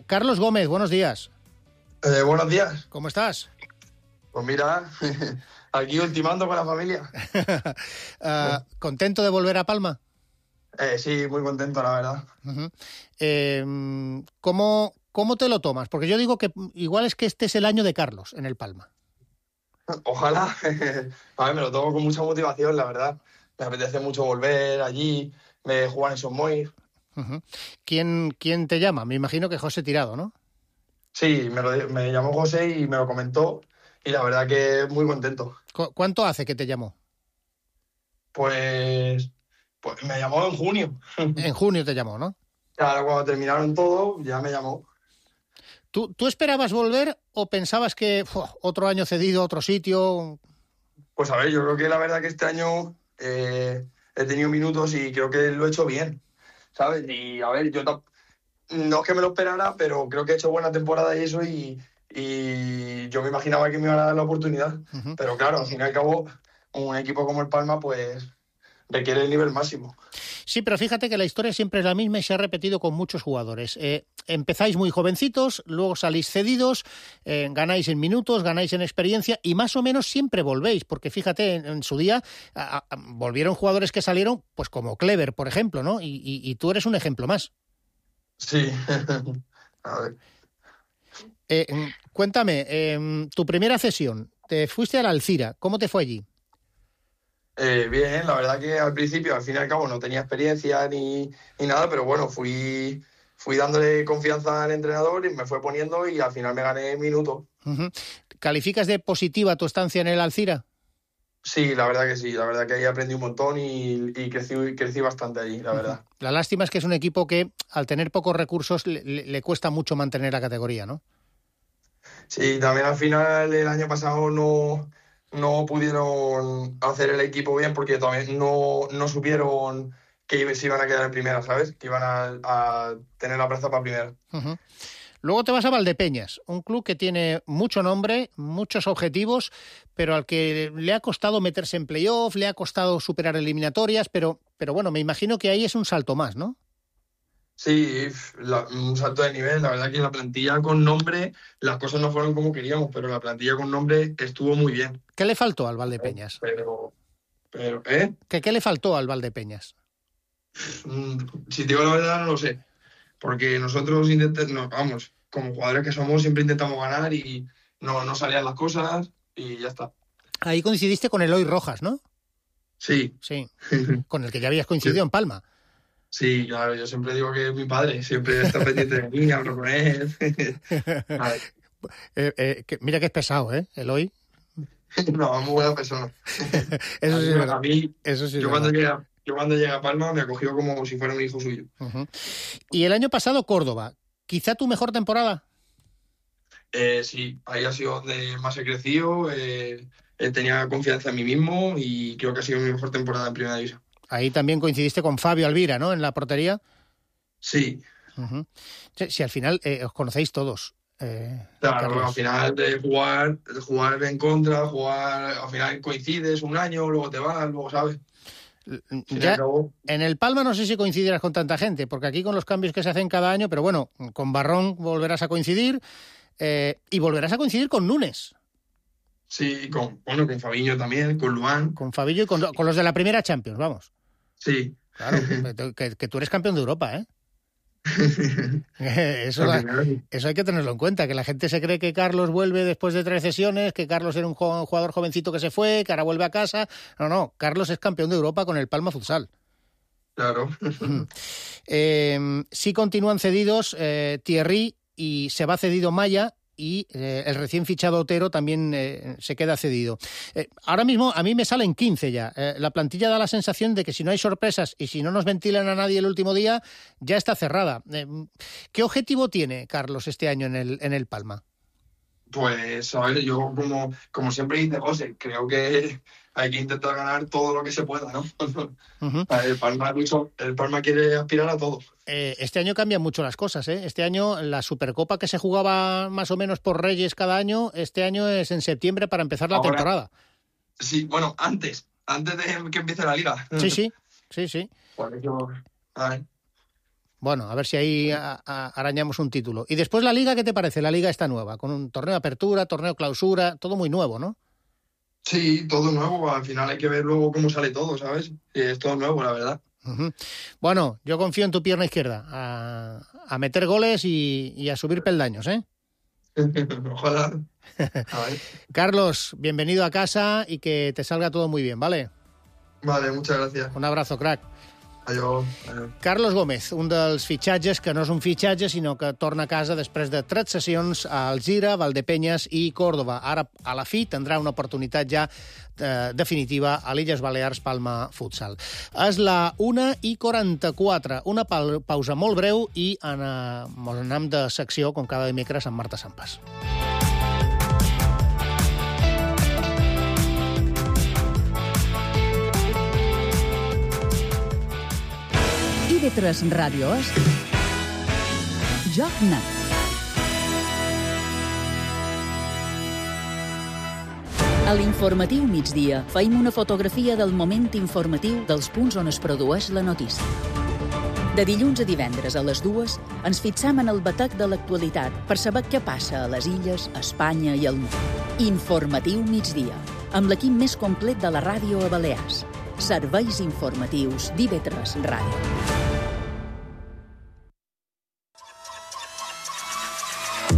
Carlos Gómez, buenos días. Buenos días. ¿Cómo estás? Pues mira, aquí ultimando con la familia. ¿Contento de volver a Palma? Sí, muy contento, la verdad. ¿Cómo te lo tomas? Porque yo digo que igual es que este es el año de Carlos en el Palma. Ojalá. A ver, me lo tomo con mucha motivación, la verdad. Me apetece mucho volver allí, jugar en Somoy. ¿Quién te llama? Me imagino que José Tirado, ¿no? Sí, me llamó José y me lo comentó. Y la verdad que muy contento. ¿Cuánto hace que te llamó? Pues me llamó en junio. En junio te llamó, ¿no? Claro, cuando terminaron todo, ya me llamó. ¿Tú esperabas volver o pensabas que otro año cedido a otro sitio? Pues a ver, yo creo que la verdad que este año he tenido minutos y creo que lo he hecho bien, ¿sabes? Y a ver, yo no es que me lo esperara, pero creo que he hecho buena temporada y eso, y yo me imaginaba que me iban a dar la oportunidad. Pero claro, al fin y al cabo, un equipo como el Palma, pues requiere el nivel máximo. Sí, pero fíjate que la historia siempre es la misma y se ha repetido con muchos jugadores. Empezáis muy jovencitos, luego salís cedidos, ganáis en minutos, ganáis en experiencia y más o menos siempre volvéis, porque fíjate, en su día volvieron jugadores que salieron, pues como Clever, por ejemplo, ¿no? Y tú eres un ejemplo más. Sí. A ver. Cuéntame, tu primera cesión, te fuiste a la Alcira, ¿cómo te fue allí? Bien, la verdad que al principio, al fin y al cabo, no tenía experiencia ni nada, pero bueno, fui dándole confianza al entrenador y me fue poniendo y al final me gané minutos. ¿Calificas de positiva tu estancia en el Alcira? Sí, la verdad que sí, la verdad que ahí aprendí un montón y crecí bastante allí, la verdad. La lástima es que es un equipo que al tener pocos recursos le cuesta mucho mantener la categoría, ¿no? Sí, también al final el año pasado no pudieron hacer el equipo bien porque también no supieron que se iban a quedar en primera, ¿sabes? Que iban a tener la plaza para primera. Luego te vas a Valdepeñas, un club que tiene mucho nombre, muchos objetivos, pero al que le ha costado meterse en playoff, le ha costado superar eliminatorias, pero bueno, me imagino que ahí es un salto más, ¿no? Sí, un salto de nivel. La verdad que la plantilla con nombre, las cosas no fueron como queríamos, pero la plantilla con nombre estuvo muy bien. ¿Qué le faltó al Valdepeñas? ¿Qué le faltó al Valdepeñas? Si te digo la verdad, no lo sé. Porque nosotros como jugadores que somos, siempre intentamos ganar y no salían las cosas y ya está. Ahí coincidiste con Eloy Rojas, ¿no? Sí. Sí, con el que ya habías coincidido en Palma. Sí, claro, yo siempre digo que es mi padre, siempre está pendiente de mí, hablo con él. Mira que es pesado, ¿eh, Eloy? No, muy buena persona. Eso sí, a mí, eso sí. Yo cuando llegué a Palma me acogió como si fuera un hijo suyo. Y el año pasado Córdoba, ¿quizá tu mejor temporada? Sí, ahí ha sido donde más he crecido, tenía confianza en mí mismo y creo que ha sido mi mejor temporada en Primera División. Ahí también coincidiste con Fabio Alvira, ¿no?, en la portería. Sí. Sí, al final os conocéis todos. Claro, al final de jugar en contra, al final coincides un año, luego te vas, luego sabes. Ya, en el Palma no sé si coincidirás con tanta gente, porque aquí con los cambios que se hacen cada año, pero bueno, con Barrón volverás a coincidir y volverás a coincidir con Nunes. Sí, con Fabiño también, con Luan. Con Fabiño y con los de la primera Champions, vamos. Sí. Claro, que tú eres campeón de Europa, ¿eh? Eso hay que tenerlo en cuenta, que la gente se cree que Carlos vuelve después de 3 sesiones, que Carlos era un jugador jovencito que se fue, que ahora vuelve a casa. No, Carlos es campeón de Europa con el Palma Futsal. Claro. Sí continúan cedidos Thierry y se va cedido Maya, y el recién fichado Otero también se queda cedido. Ahora mismo a mí me salen 15 ya. La plantilla da la sensación de que si no hay sorpresas y si no nos ventilan a nadie el último día, ya está cerrada. ¿Qué objetivo tiene Carlos este año en el Palma? Pues, a ver, yo como siempre dice José, creo que hay que intentar ganar todo lo que se pueda, ¿no? El Palma quiere aspirar a todo. Este año cambian mucho las cosas, ¿eh? Este año la Supercopa que se jugaba más o menos por Reyes cada año, este año es en septiembre para empezar la temporada. Sí, bueno, antes de que empiece la Liga. Sí. Por eso, a ver. Bueno, a ver si ahí arañamos un título. Y después la Liga, ¿qué te parece? La Liga está nueva, con un torneo de apertura, torneo de clausura, todo muy nuevo, ¿no? Sí, todo nuevo. Al final hay que ver luego cómo sale todo, ¿sabes? Es todo nuevo, la verdad. Bueno, yo confío en tu pierna izquierda, a meter goles y a subir peldaños, ¿eh? Ojalá. Carlos, bienvenido a casa y que te salga todo muy bien, ¿vale? Vale, muchas gracias. Un abrazo, crack. Adiós. Carlos Gómez, un dels fitxatges que no és un fitxatge, sinó que torna a casa després de 3 sessions a Alzira, Valdepenyes i Còrdova. Ara, a la fi, tindrà una oportunitat ja definitiva a l'Illes Balears Palma Futsal. És la 1:44, una pausa molt breu i anem de secció, com cada dimecres, amb Marta Sampas. TV3 Ràdio és Joc Net. A l'informatiu migdia feim una fotografia del moment informatiu dels punts on es produeix la notícia. De dilluns a divendres a les 2 ens fixem en el batec de l'actualitat per saber què passa a les illes, a Espanya i al món. Informatiu migdia, amb l'equip més complet de la ràdio a Balears. Serveis informatius d'IV3 Ràdio.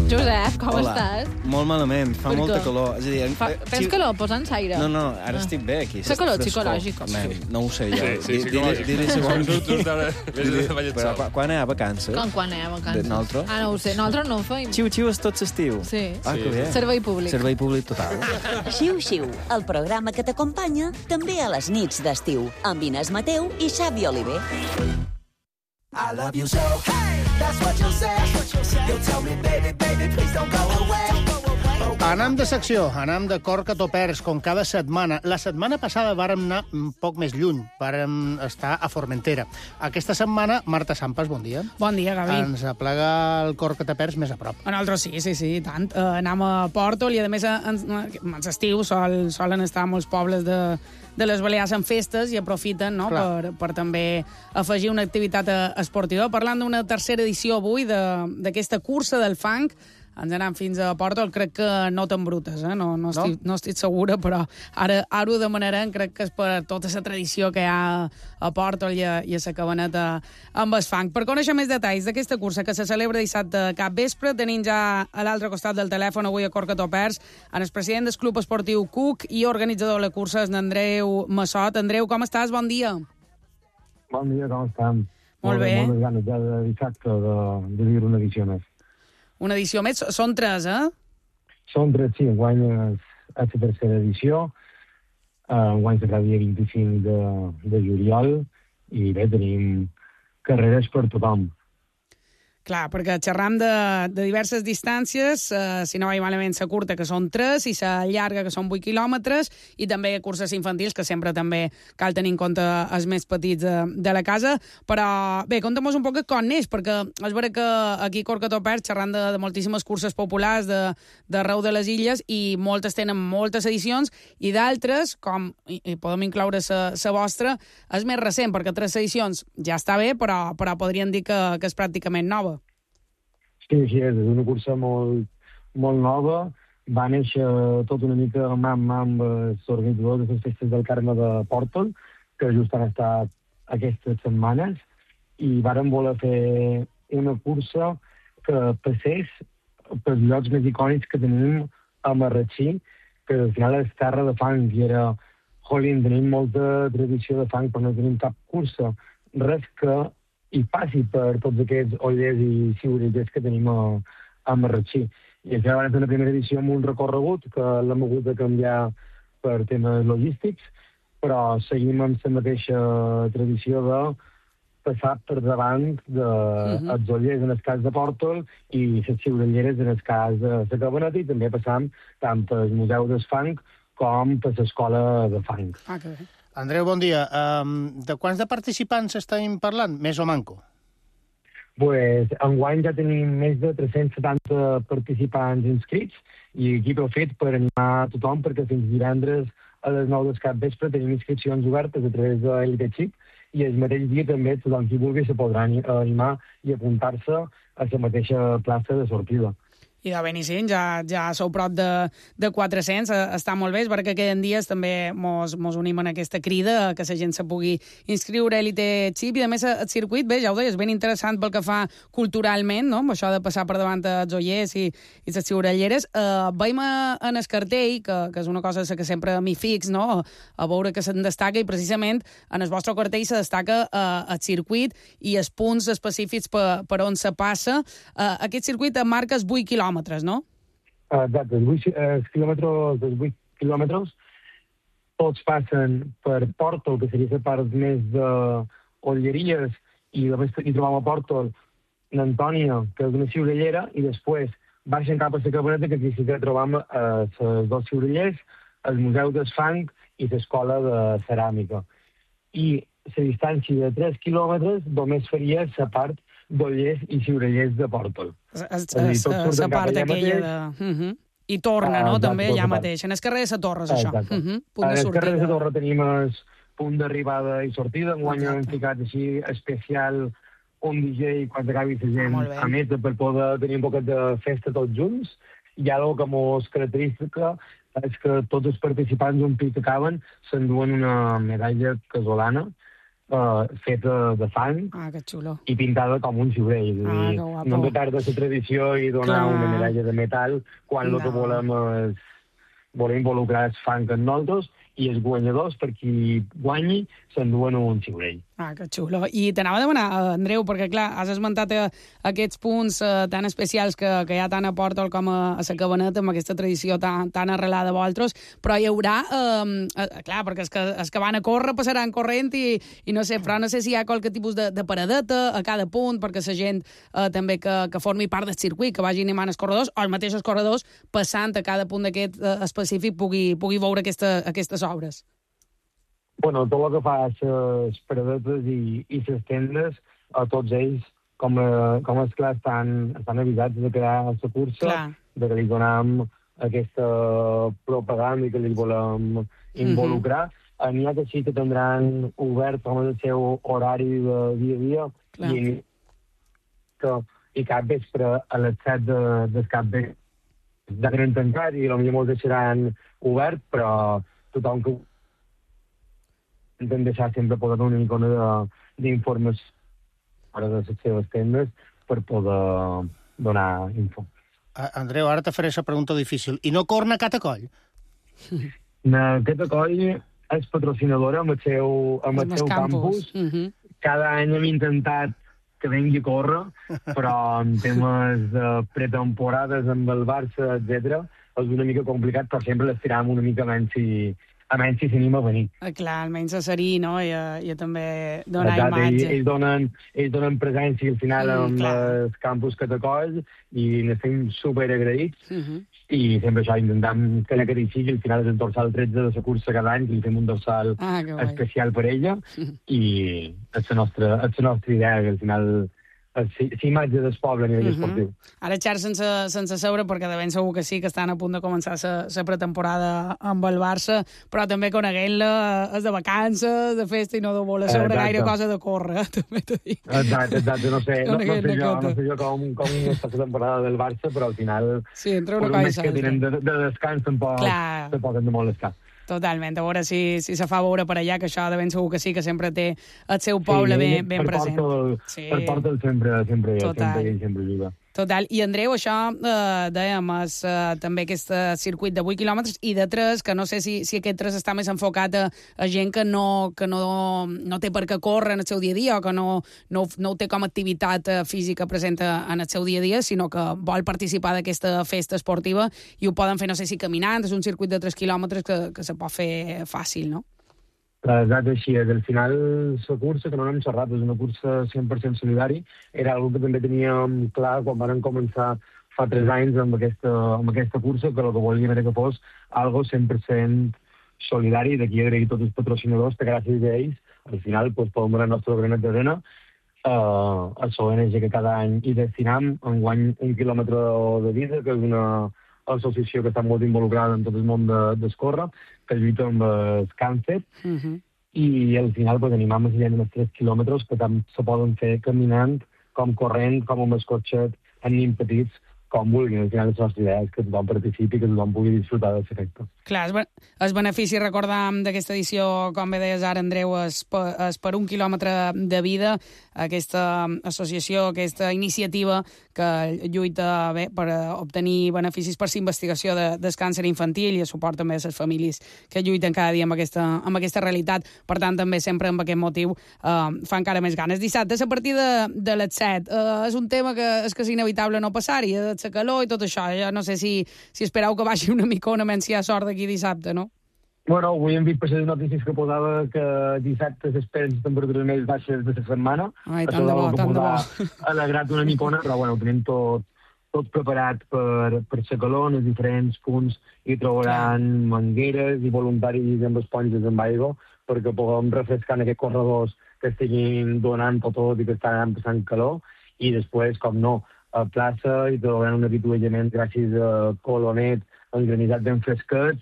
Josep, com estàs? Molt malament, fa molta calor. És a dir, tens calor? Posa'ns aire. No, ara estic bé aquí. Fa calor psicològic. No ho sé jo. Sí, psicològic. Però quan hi ha vacances? Quan hi ha vacances? Nosaltres? No ho sé, nosaltres no ho feim. Xiu-xiu és tot l'estiu. Sí. Que bé. Servei públic. Servei públic total. Xiu-xiu, el programa que t'acompanya també a les nits d'estiu, amb Inés Mateu i Xavi Oliver. I love you so, hey, that's what you'll say. You'll tell me, baby, please don't go away. Anem de secció, anem de Corca-Topers, com cada setmana. La setmana passada vàrem anar un poc més lluny, vàrem estar a Formentera. Aquesta setmana, Marta Sampas, bon dia. Bon dia, Gavi. Ens aplega el Corca-Topers més a prop. A nosaltres sí, tant. Anem a Pòrtol i, a més, als estius solen estar molts pobles de les Balears en festes i aprofiten, no?, per també afegir una activitat esportiva. Parlant d'una tercera edició avui d'aquesta cursa del fang, ens anem fins a Pòrtol, crec que no t'embrutes, no estic segura, però ara ho demanarem, crec que és per tota la tradició que hi ha a Pòrtol i a la Cabaneta amb el fang. Per conèixer més detalls d'aquesta cursa que se celebra dissabte cap vespre, tenim ja a l'altre costat del telèfon avui a Corca-Topers en el president del Club Esportiu Cuc i organitzador de la cursa, en Andreu Massot. Andreu, com estàs? Bon dia. Bon dia, com estem? Molt bé. Moltes ganes ja de dissabte de viure una edició més. Una edició més? Són 3, Són 3, sí. Enguany és la tercera edició. Enguany serà el dia 25 de juliol i bé, tenim carreres per tothom. Clar, perquè xerram de diverses distàncies, si no vaig malament, la curta, que són 3, i la llarga, que són 8 quilòmetres, i també curses infantils, que sempre també cal tenir en compte els més petits de la casa. Però bé, conta'm un poc com neix, perquè és vera que aquí a Corca-Topers xerram de moltíssimes curses populars d'arreu de les illes, i moltes tenen moltes edicions, i d'altres, com i podem incloure la vostra, és més recent, perquè 3 edicions ja està bé, però podríem dir que és pràcticament nova. Sí, així és una cursa molt nova. Va néixer tot una mica amb els organitzadors de les festes del Carme de Pòrtol, que just han estat aquestes setmanes, i vàrem voler fer una cursa que passés pels llocs més icònics que tenim a Marratxí, que al final és terra de fang, i era, jolín, tenim molta tradició de fang, però no tenim cap cursa, res que hi passi per tots aquests ollers i ciurellers que tenim a Marratxí. I això va ser una primera edició amb un recorregut que l'hem hagut de canviar per temes logístics, però seguim amb la mateixa tradició de passar per davant dels ollers en el cas de Pòrtol i les ciurelleres en el cas de la Cabaneta, i també passam tant pel Museu del Fang com per l'Escola de Fang. Que bé. Andreu, bon dia. De quants de participants estem parlant, més o manco? Pues, enguany ja tenim més de 370 participants inscrits i equip heu fet per animar tothom, perquè fins divendres a les 9 del capvespre tenim inscripcions obertes a través de l'Elite Chip, i el mateix dia també tothom qui vulgui se podrà animar i apuntar-se a la mateixa plaça de sortida. I de Benicent ja sou prop de 400, està molt bé, perquè queden dies també mos unim en aquesta crida que la gent se pugui inscriure a Elite Chip, i a més el circuit, bé, ja ho deies, ben interessant pel que fa culturalment, no?, amb això de passar per davant els ollers i les ciurelleres. Veiem en el cartell, que és una cosa que sempre m'hi fix, no?, a veure que se'n destaca, i precisament en el vostre cartell se destaca el circuit i els punts específics per on se passa. Aquest circuit marca els 8 quilòmetres, no? Exacte, els quilòmetres tots passen per Pòrtol, que seria la part més d'olleries, i només hi trobam a Pòrtol l'Antònia, que és una ciurellera, i després baixen cap a la Cabaneta, que aquí sí que trobam els dos ciurellers, el Museu del Fang i l'Escola de Ceràmica. I la distància de 3 quilòmetres només faria la part d'ollers i ciurellers de Pòrtol. La part aquella de... I torna, no?, també allà mateix. En el carrer de la Torre, és això. En el carrer de la Torre tenim el punt d'arribada i sortida. Enguany hem ficat així especial un DJ quan acabi la gent a més per poder tenir un poquet de festa tots junts. I ara el que ens caracteritza és que tots els participants un pic que acaben s'enduen una medalla casolana feta de fang i pintada com un ciurell. No hem de perdre la tradició i donar una medalla de metal quan el que volem és involucrar el fang en nosaltres, i els guanyadors, per qui guanyi, s'enduen un ciurell. Que xulo. I t'anava a demanar, Andreu, perquè, clar, has esmentat aquests punts tan especials que hi ha tant a Pòrtol com a la Cabaneta, amb aquesta tradició tan arrelada a vosaltres, però hi haurà, clar, perquè els que van a córrer passaran corrent i no sé, però no sé si hi ha qualque tipus de paradeta a cada punt, perquè la gent també que formi part del circuit, que vagi animant els corredors, o els mateixos corredors passant a cada punt d'aquest específic pugui veure aquestes obres. Bueno, tot el que fa les paradetes i les tendes, a tots ells, com és clar, estan avisats de crear la cursa, de que li donem aquesta propaganda i que li volem involucrar. N'hi ha que sí que tindran obert com el seu horari de dia a dia, i cap vespre a les 7 del capvespre ja tenen tancat i potser molts deixaran obert, però tothom que intenten deixar sempre poder donar una mica d'informació fora de les seves tendes per poder donar info. Andreu, ara te faré la pregunta difícil. I no corna Catacoll? Catacoll és patrocinadora amb el seu campus. Cada any hem intentat que vengui a córrer, però en temes de pretemporades amb el Barça, etc., és una mica complicat, però sempre l'estiràvem una mica menys si s'anima a venir. Clar, almenys a serir, no?, i també donar imatge. Ells donen presència al final amb els campus Catacoll i n'estem superagraïts, i sempre això, intentam que aquell sigui, al final és el dorsal 13 de la cursa cada any, que li fem un dorsal especial per ella, i és la nostra idea, que al final imatge del poble a nivell esportiu. Ara, Xar, sense saber, perquè de ben segur que sí, que estan a punt de començar la pretemporada amb el Barça, però també coneguent-la és de vacances, de festa, i no de voler saber gaire cosa de córrer, també t'ho dic. Exacte, no sé jo com està la temporada del Barça, però al final, sí, entre una cosa i que tenen de descans, tampoc de molestar. Totalment, a veure si se fa veure per allà, que això de ben segur que sí, que sempre té el seu poble ben present. Per Portal sempre juga. Total. I, Andreu, això, dèiem, és també aquest circuit de 8 quilòmetres i de 3, que no sé si aquest 3 està més enfocat a gent que no té per què córrer en el seu dia a dia o que no ho té com a activitat física present en el seu dia a dia, sinó que vol participar d'aquesta festa esportiva i ho poden fer, no sé si caminant, és un circuit de 3 quilòmetres que se pot fer fàcil, no? Exacte, així és. Al final, la cursa, que no n'hem xerrat, és una cursa 100% solidari. Era una que també teníem clar quan vam començar fa 3 anys amb aquesta cursa, que el que volíem era que fos algo 100% solidari. D'aquí agrair tots els patrocinadors, que gràcies a ells, al final, podem donar el nostre granet d'arena a l'ONG que cada any hi destinam enguany 1 quilòmetre de vida, que és una associació que està molt involucrada en tot el món d'escórrer, que lluita amb el càncer, i al final animam a gent amb els 3 quilòmetres que tant se poden fer caminant, com corrent, com amb el cotxet, amb nens petits, com vulguin. Al final, la nostra idea és que tothom participi, que tothom pugui disfrutar del efecte. Clar, el benefici, recordam, d'aquesta edició, com bé deies ara, Andreu, és per 1 quilòmetre de vida, aquesta associació, aquesta iniciativa que lluita per obtenir beneficis per la investigació del càncer infantil i el suport també a les famílies que lluiten cada dia amb aquesta realitat. Per tant, també sempre amb aquest motiu fa encara més ganes. Dissabte, a partir de les 7, és un tema que és inevitable no passar-hi, la calor i tot això. Jo no sé si espereu que baixi una micona menys si hi ha sort d'aquí dissabte, no? Bueno, avui hem vist per les notícies que posava que dissabte s'esperen les temperatures més baixes de la setmana. Ai, tant de bo, tant de bo. Ha alegrat una micona, però bueno, ho tenim tot preparat per la calor. En els diferents punts hi trobaran mangueres i voluntaris amb esponges amb aigua perquè puguem refrescar en aquests corredors que estiguin donant tot i que estan passant calor. I després, com no, a plaça i trobaran un avituallament gràcies a Colonet, engranitzat ben fresquets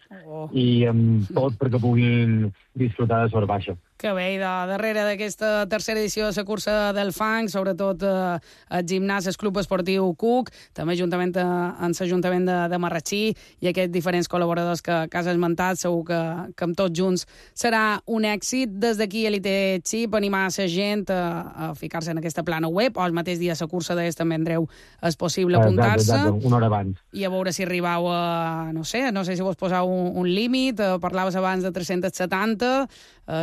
i amb tot perquè puguin disfrutar de sort baixa. Que bé, i darrere d'aquesta tercera edició de la cursa del fang, sobretot el gimnàs, el Club Esportiu Cuc, també juntament amb l'Ajuntament de Marratxí i aquests diferents col·laboradors que has esmentat, segur que amb tots junts serà un èxit. Des d'aquí Elite Chip, animar la gent a ficar-se en aquesta plana web, o el mateix dia la cursa d'ells també, Andreu, és possible apuntar-se. Exacte, una hora abans. I a veure si arribau a, no sé si vos posau un límit, parlaves abans de 370,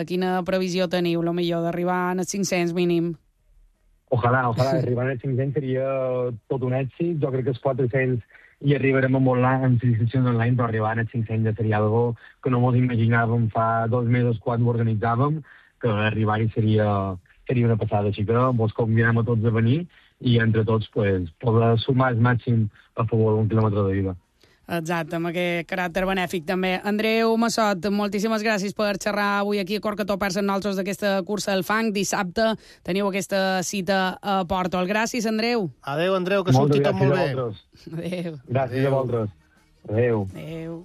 quina previsió teniu, lo millor, d'arribar als 500 mínim? Ojalà arribar als 500 seria tot un èxit. Jo crec que els 400 hi arribarem amb les inscripcions online, però arribar als 500 ja seria algo que no ens imaginàvem fa 2 mesos quan ho organitzàvem, que arribar-hi seria una passada. Així que vos convidem a tots a venir i entre tots poder sumar el màxim a favor d'un quilòmetre de vida. Exacte, amb aquest caràcter benèfic també. Andreu Massot, moltíssimes gràcies per xerrar avui aquí a Corcató Persa amb nosaltres d'aquesta cursa del fang. Dissabte teniu aquesta cita a Portol. Gràcies, Andreu. Adéu, Andreu, que surti tot molt bé. Adéu. Gràcies a vosaltres. Adéu. Adéu.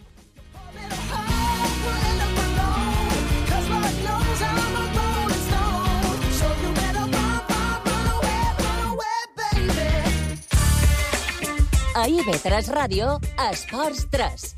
A IB3 Ràdio, Esports 3.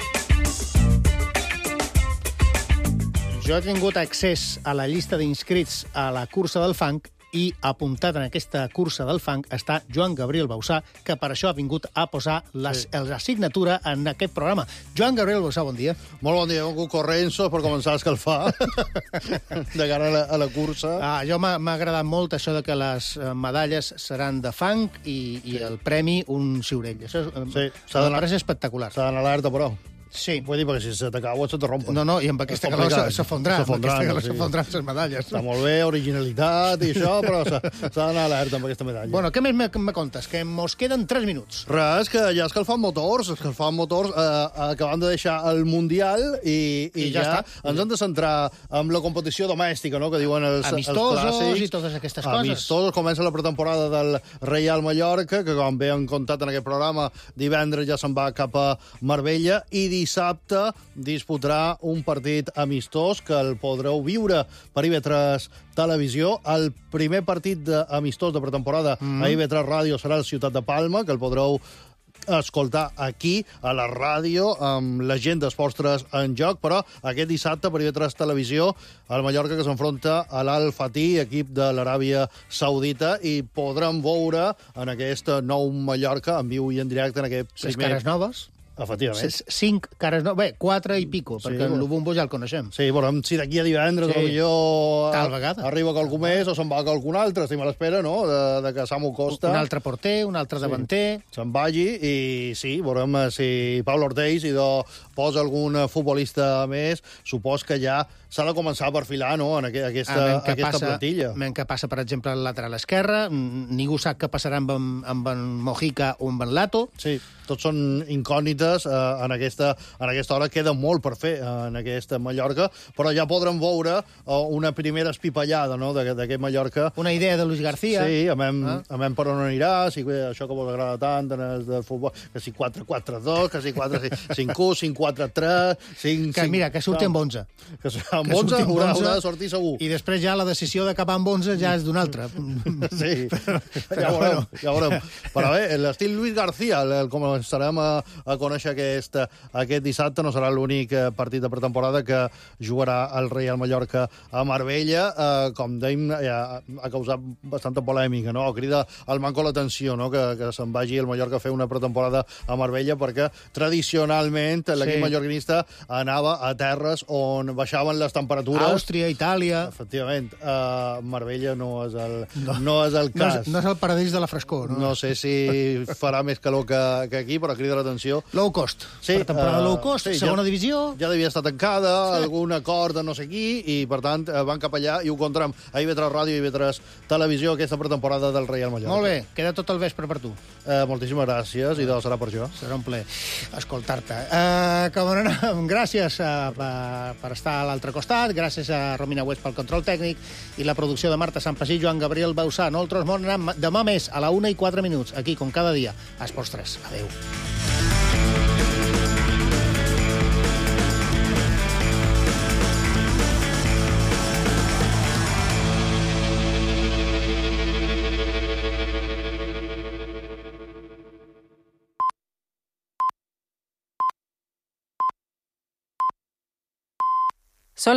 Jo he tingut accés a la llista d'inscrits a la cursa del fang i apuntat en aquesta cursa del fang està Joan Gabriel Bausà, que per això ha vingut a posar l'assignatura en aquest programa. Joan Gabriel Bausà, bon dia. Molt bon dia, vengut corrents per començar a escalfar de cara a la cursa. Jo m'ha agradat molt això de que les medalles seran de fang i el premi un ciurell. Això és espectacular. S'ha d'anar alerta, però. Sí. Vull dir, perquè si se t'acaba, se te rompen. No, i amb aquesta calor s'afondran. S'afondran les medalles. Està molt bé, originalitat i això, però s'ha d'anar alerta amb aquesta medalla. Bueno, què més me contes? Que mos queden 3 minuts. Res, que ja escalfant motors, acabant de deixar el Mundial i ja està. Ens hem de centrar en la competició domèstica, no?, que diuen els amistosos i totes aquestes coses. Amistosos, comença la pretemporada del Real Mallorca, que com bé han contat en aquest programa, divendres ja se'n va cap a Marbella, i dissabte disputarà un partit amistós que el podreu viure per IB3 Televisió. El primer partit amistós de pretemporada a IB3 Ràdio serà el Ciutat de Palma, que el podreu escoltar aquí, a la ràdio, amb la gent d'Esports 3 en joc, però aquest dissabte per IB3 Televisió, el Mallorca que s'enfronta a l'Al Fatih, equip de l'Aràbia Saudita, i podrem veure en aquest nou Mallorca en viu i en directe en aquest primer... 6 cares noves. Efectivament. 5 cares noves. Bé, 4 i pico, perquè el Lubumbo ja el coneixem. Sí, veurem si d'aquí a divendres Tal vegada. arriba qualcú més o se'n va qualcun altre. Estem a l'espera, no?, de que Samu Costa... Un altre porter, un altre davanter... se'n vagi i sí, veurem si Pablo Ortiz posa algun futbolista més. Supos que ja s'ha de començar a perfilar, no?, en aquesta plantilla. Veiem què passa, per exemple, al lateral esquerre. Ningú sap què passarà amb en Mojica o amb en Lato. Sí, tots són incògnites en aquesta hora. Queda molt per fer en aquesta Mallorca, però ja podrem veure una primera espipallada, no?, d'aquest Mallorca. Una idea de Luis García. Sí, amem per on anirà, si això que vos agrada tant en el de futbol, que si 4-4-2, que si 4-5-1, 5-4-3... 5... Que mira, que surti amb 11. Que amb 11 haurà de sortir segur. I després ja la decisió d'acabar amb 11 ja és d'un altre. Sí, ja veurem. Però bé, l'estil Luis García, el començarem a conèixer aquest dissabte, no serà l'únic partit de pretemporada que jugarà el Real Mallorca a Marbella. Com dèiem, ha causat bastanta polèmica, no? Crida al manco l'atenció, no?, que se'n vagi el Mallorca a fer una pretemporada a Marbella, perquè tradicionalment l'equip mallorquinista anava a terres on baixaven les temperatures. Àustria, Itàlia... Efectivament. Marbella no és el cas. No és el paradís de la frescor, no? No sé si farà més calor que aquí, però crida l'atenció. Low cost. Sí, per temporada low cost, segona divisió. Ja devia estar tancada, algun acord de no sé qui, i per tant van cap allà i ho contarem a IB3 Ràdio i IB3 Televisió aquesta pretemporada del Real Mallorca. Molt bé, queda tot el vespre per tu. Moltíssimes gràcies, i serà per jo. Serà un plaer escoltar-te. Com anem? Gràcies per estar a l'altre costat, gràcies a Romina West pel control tècnic i la producció de Marta Sampasí i Joan Gabriel Bausà. Nosaltres demà més, a la 1:04, aquí, com cada dia, a Esports 3. Adéu.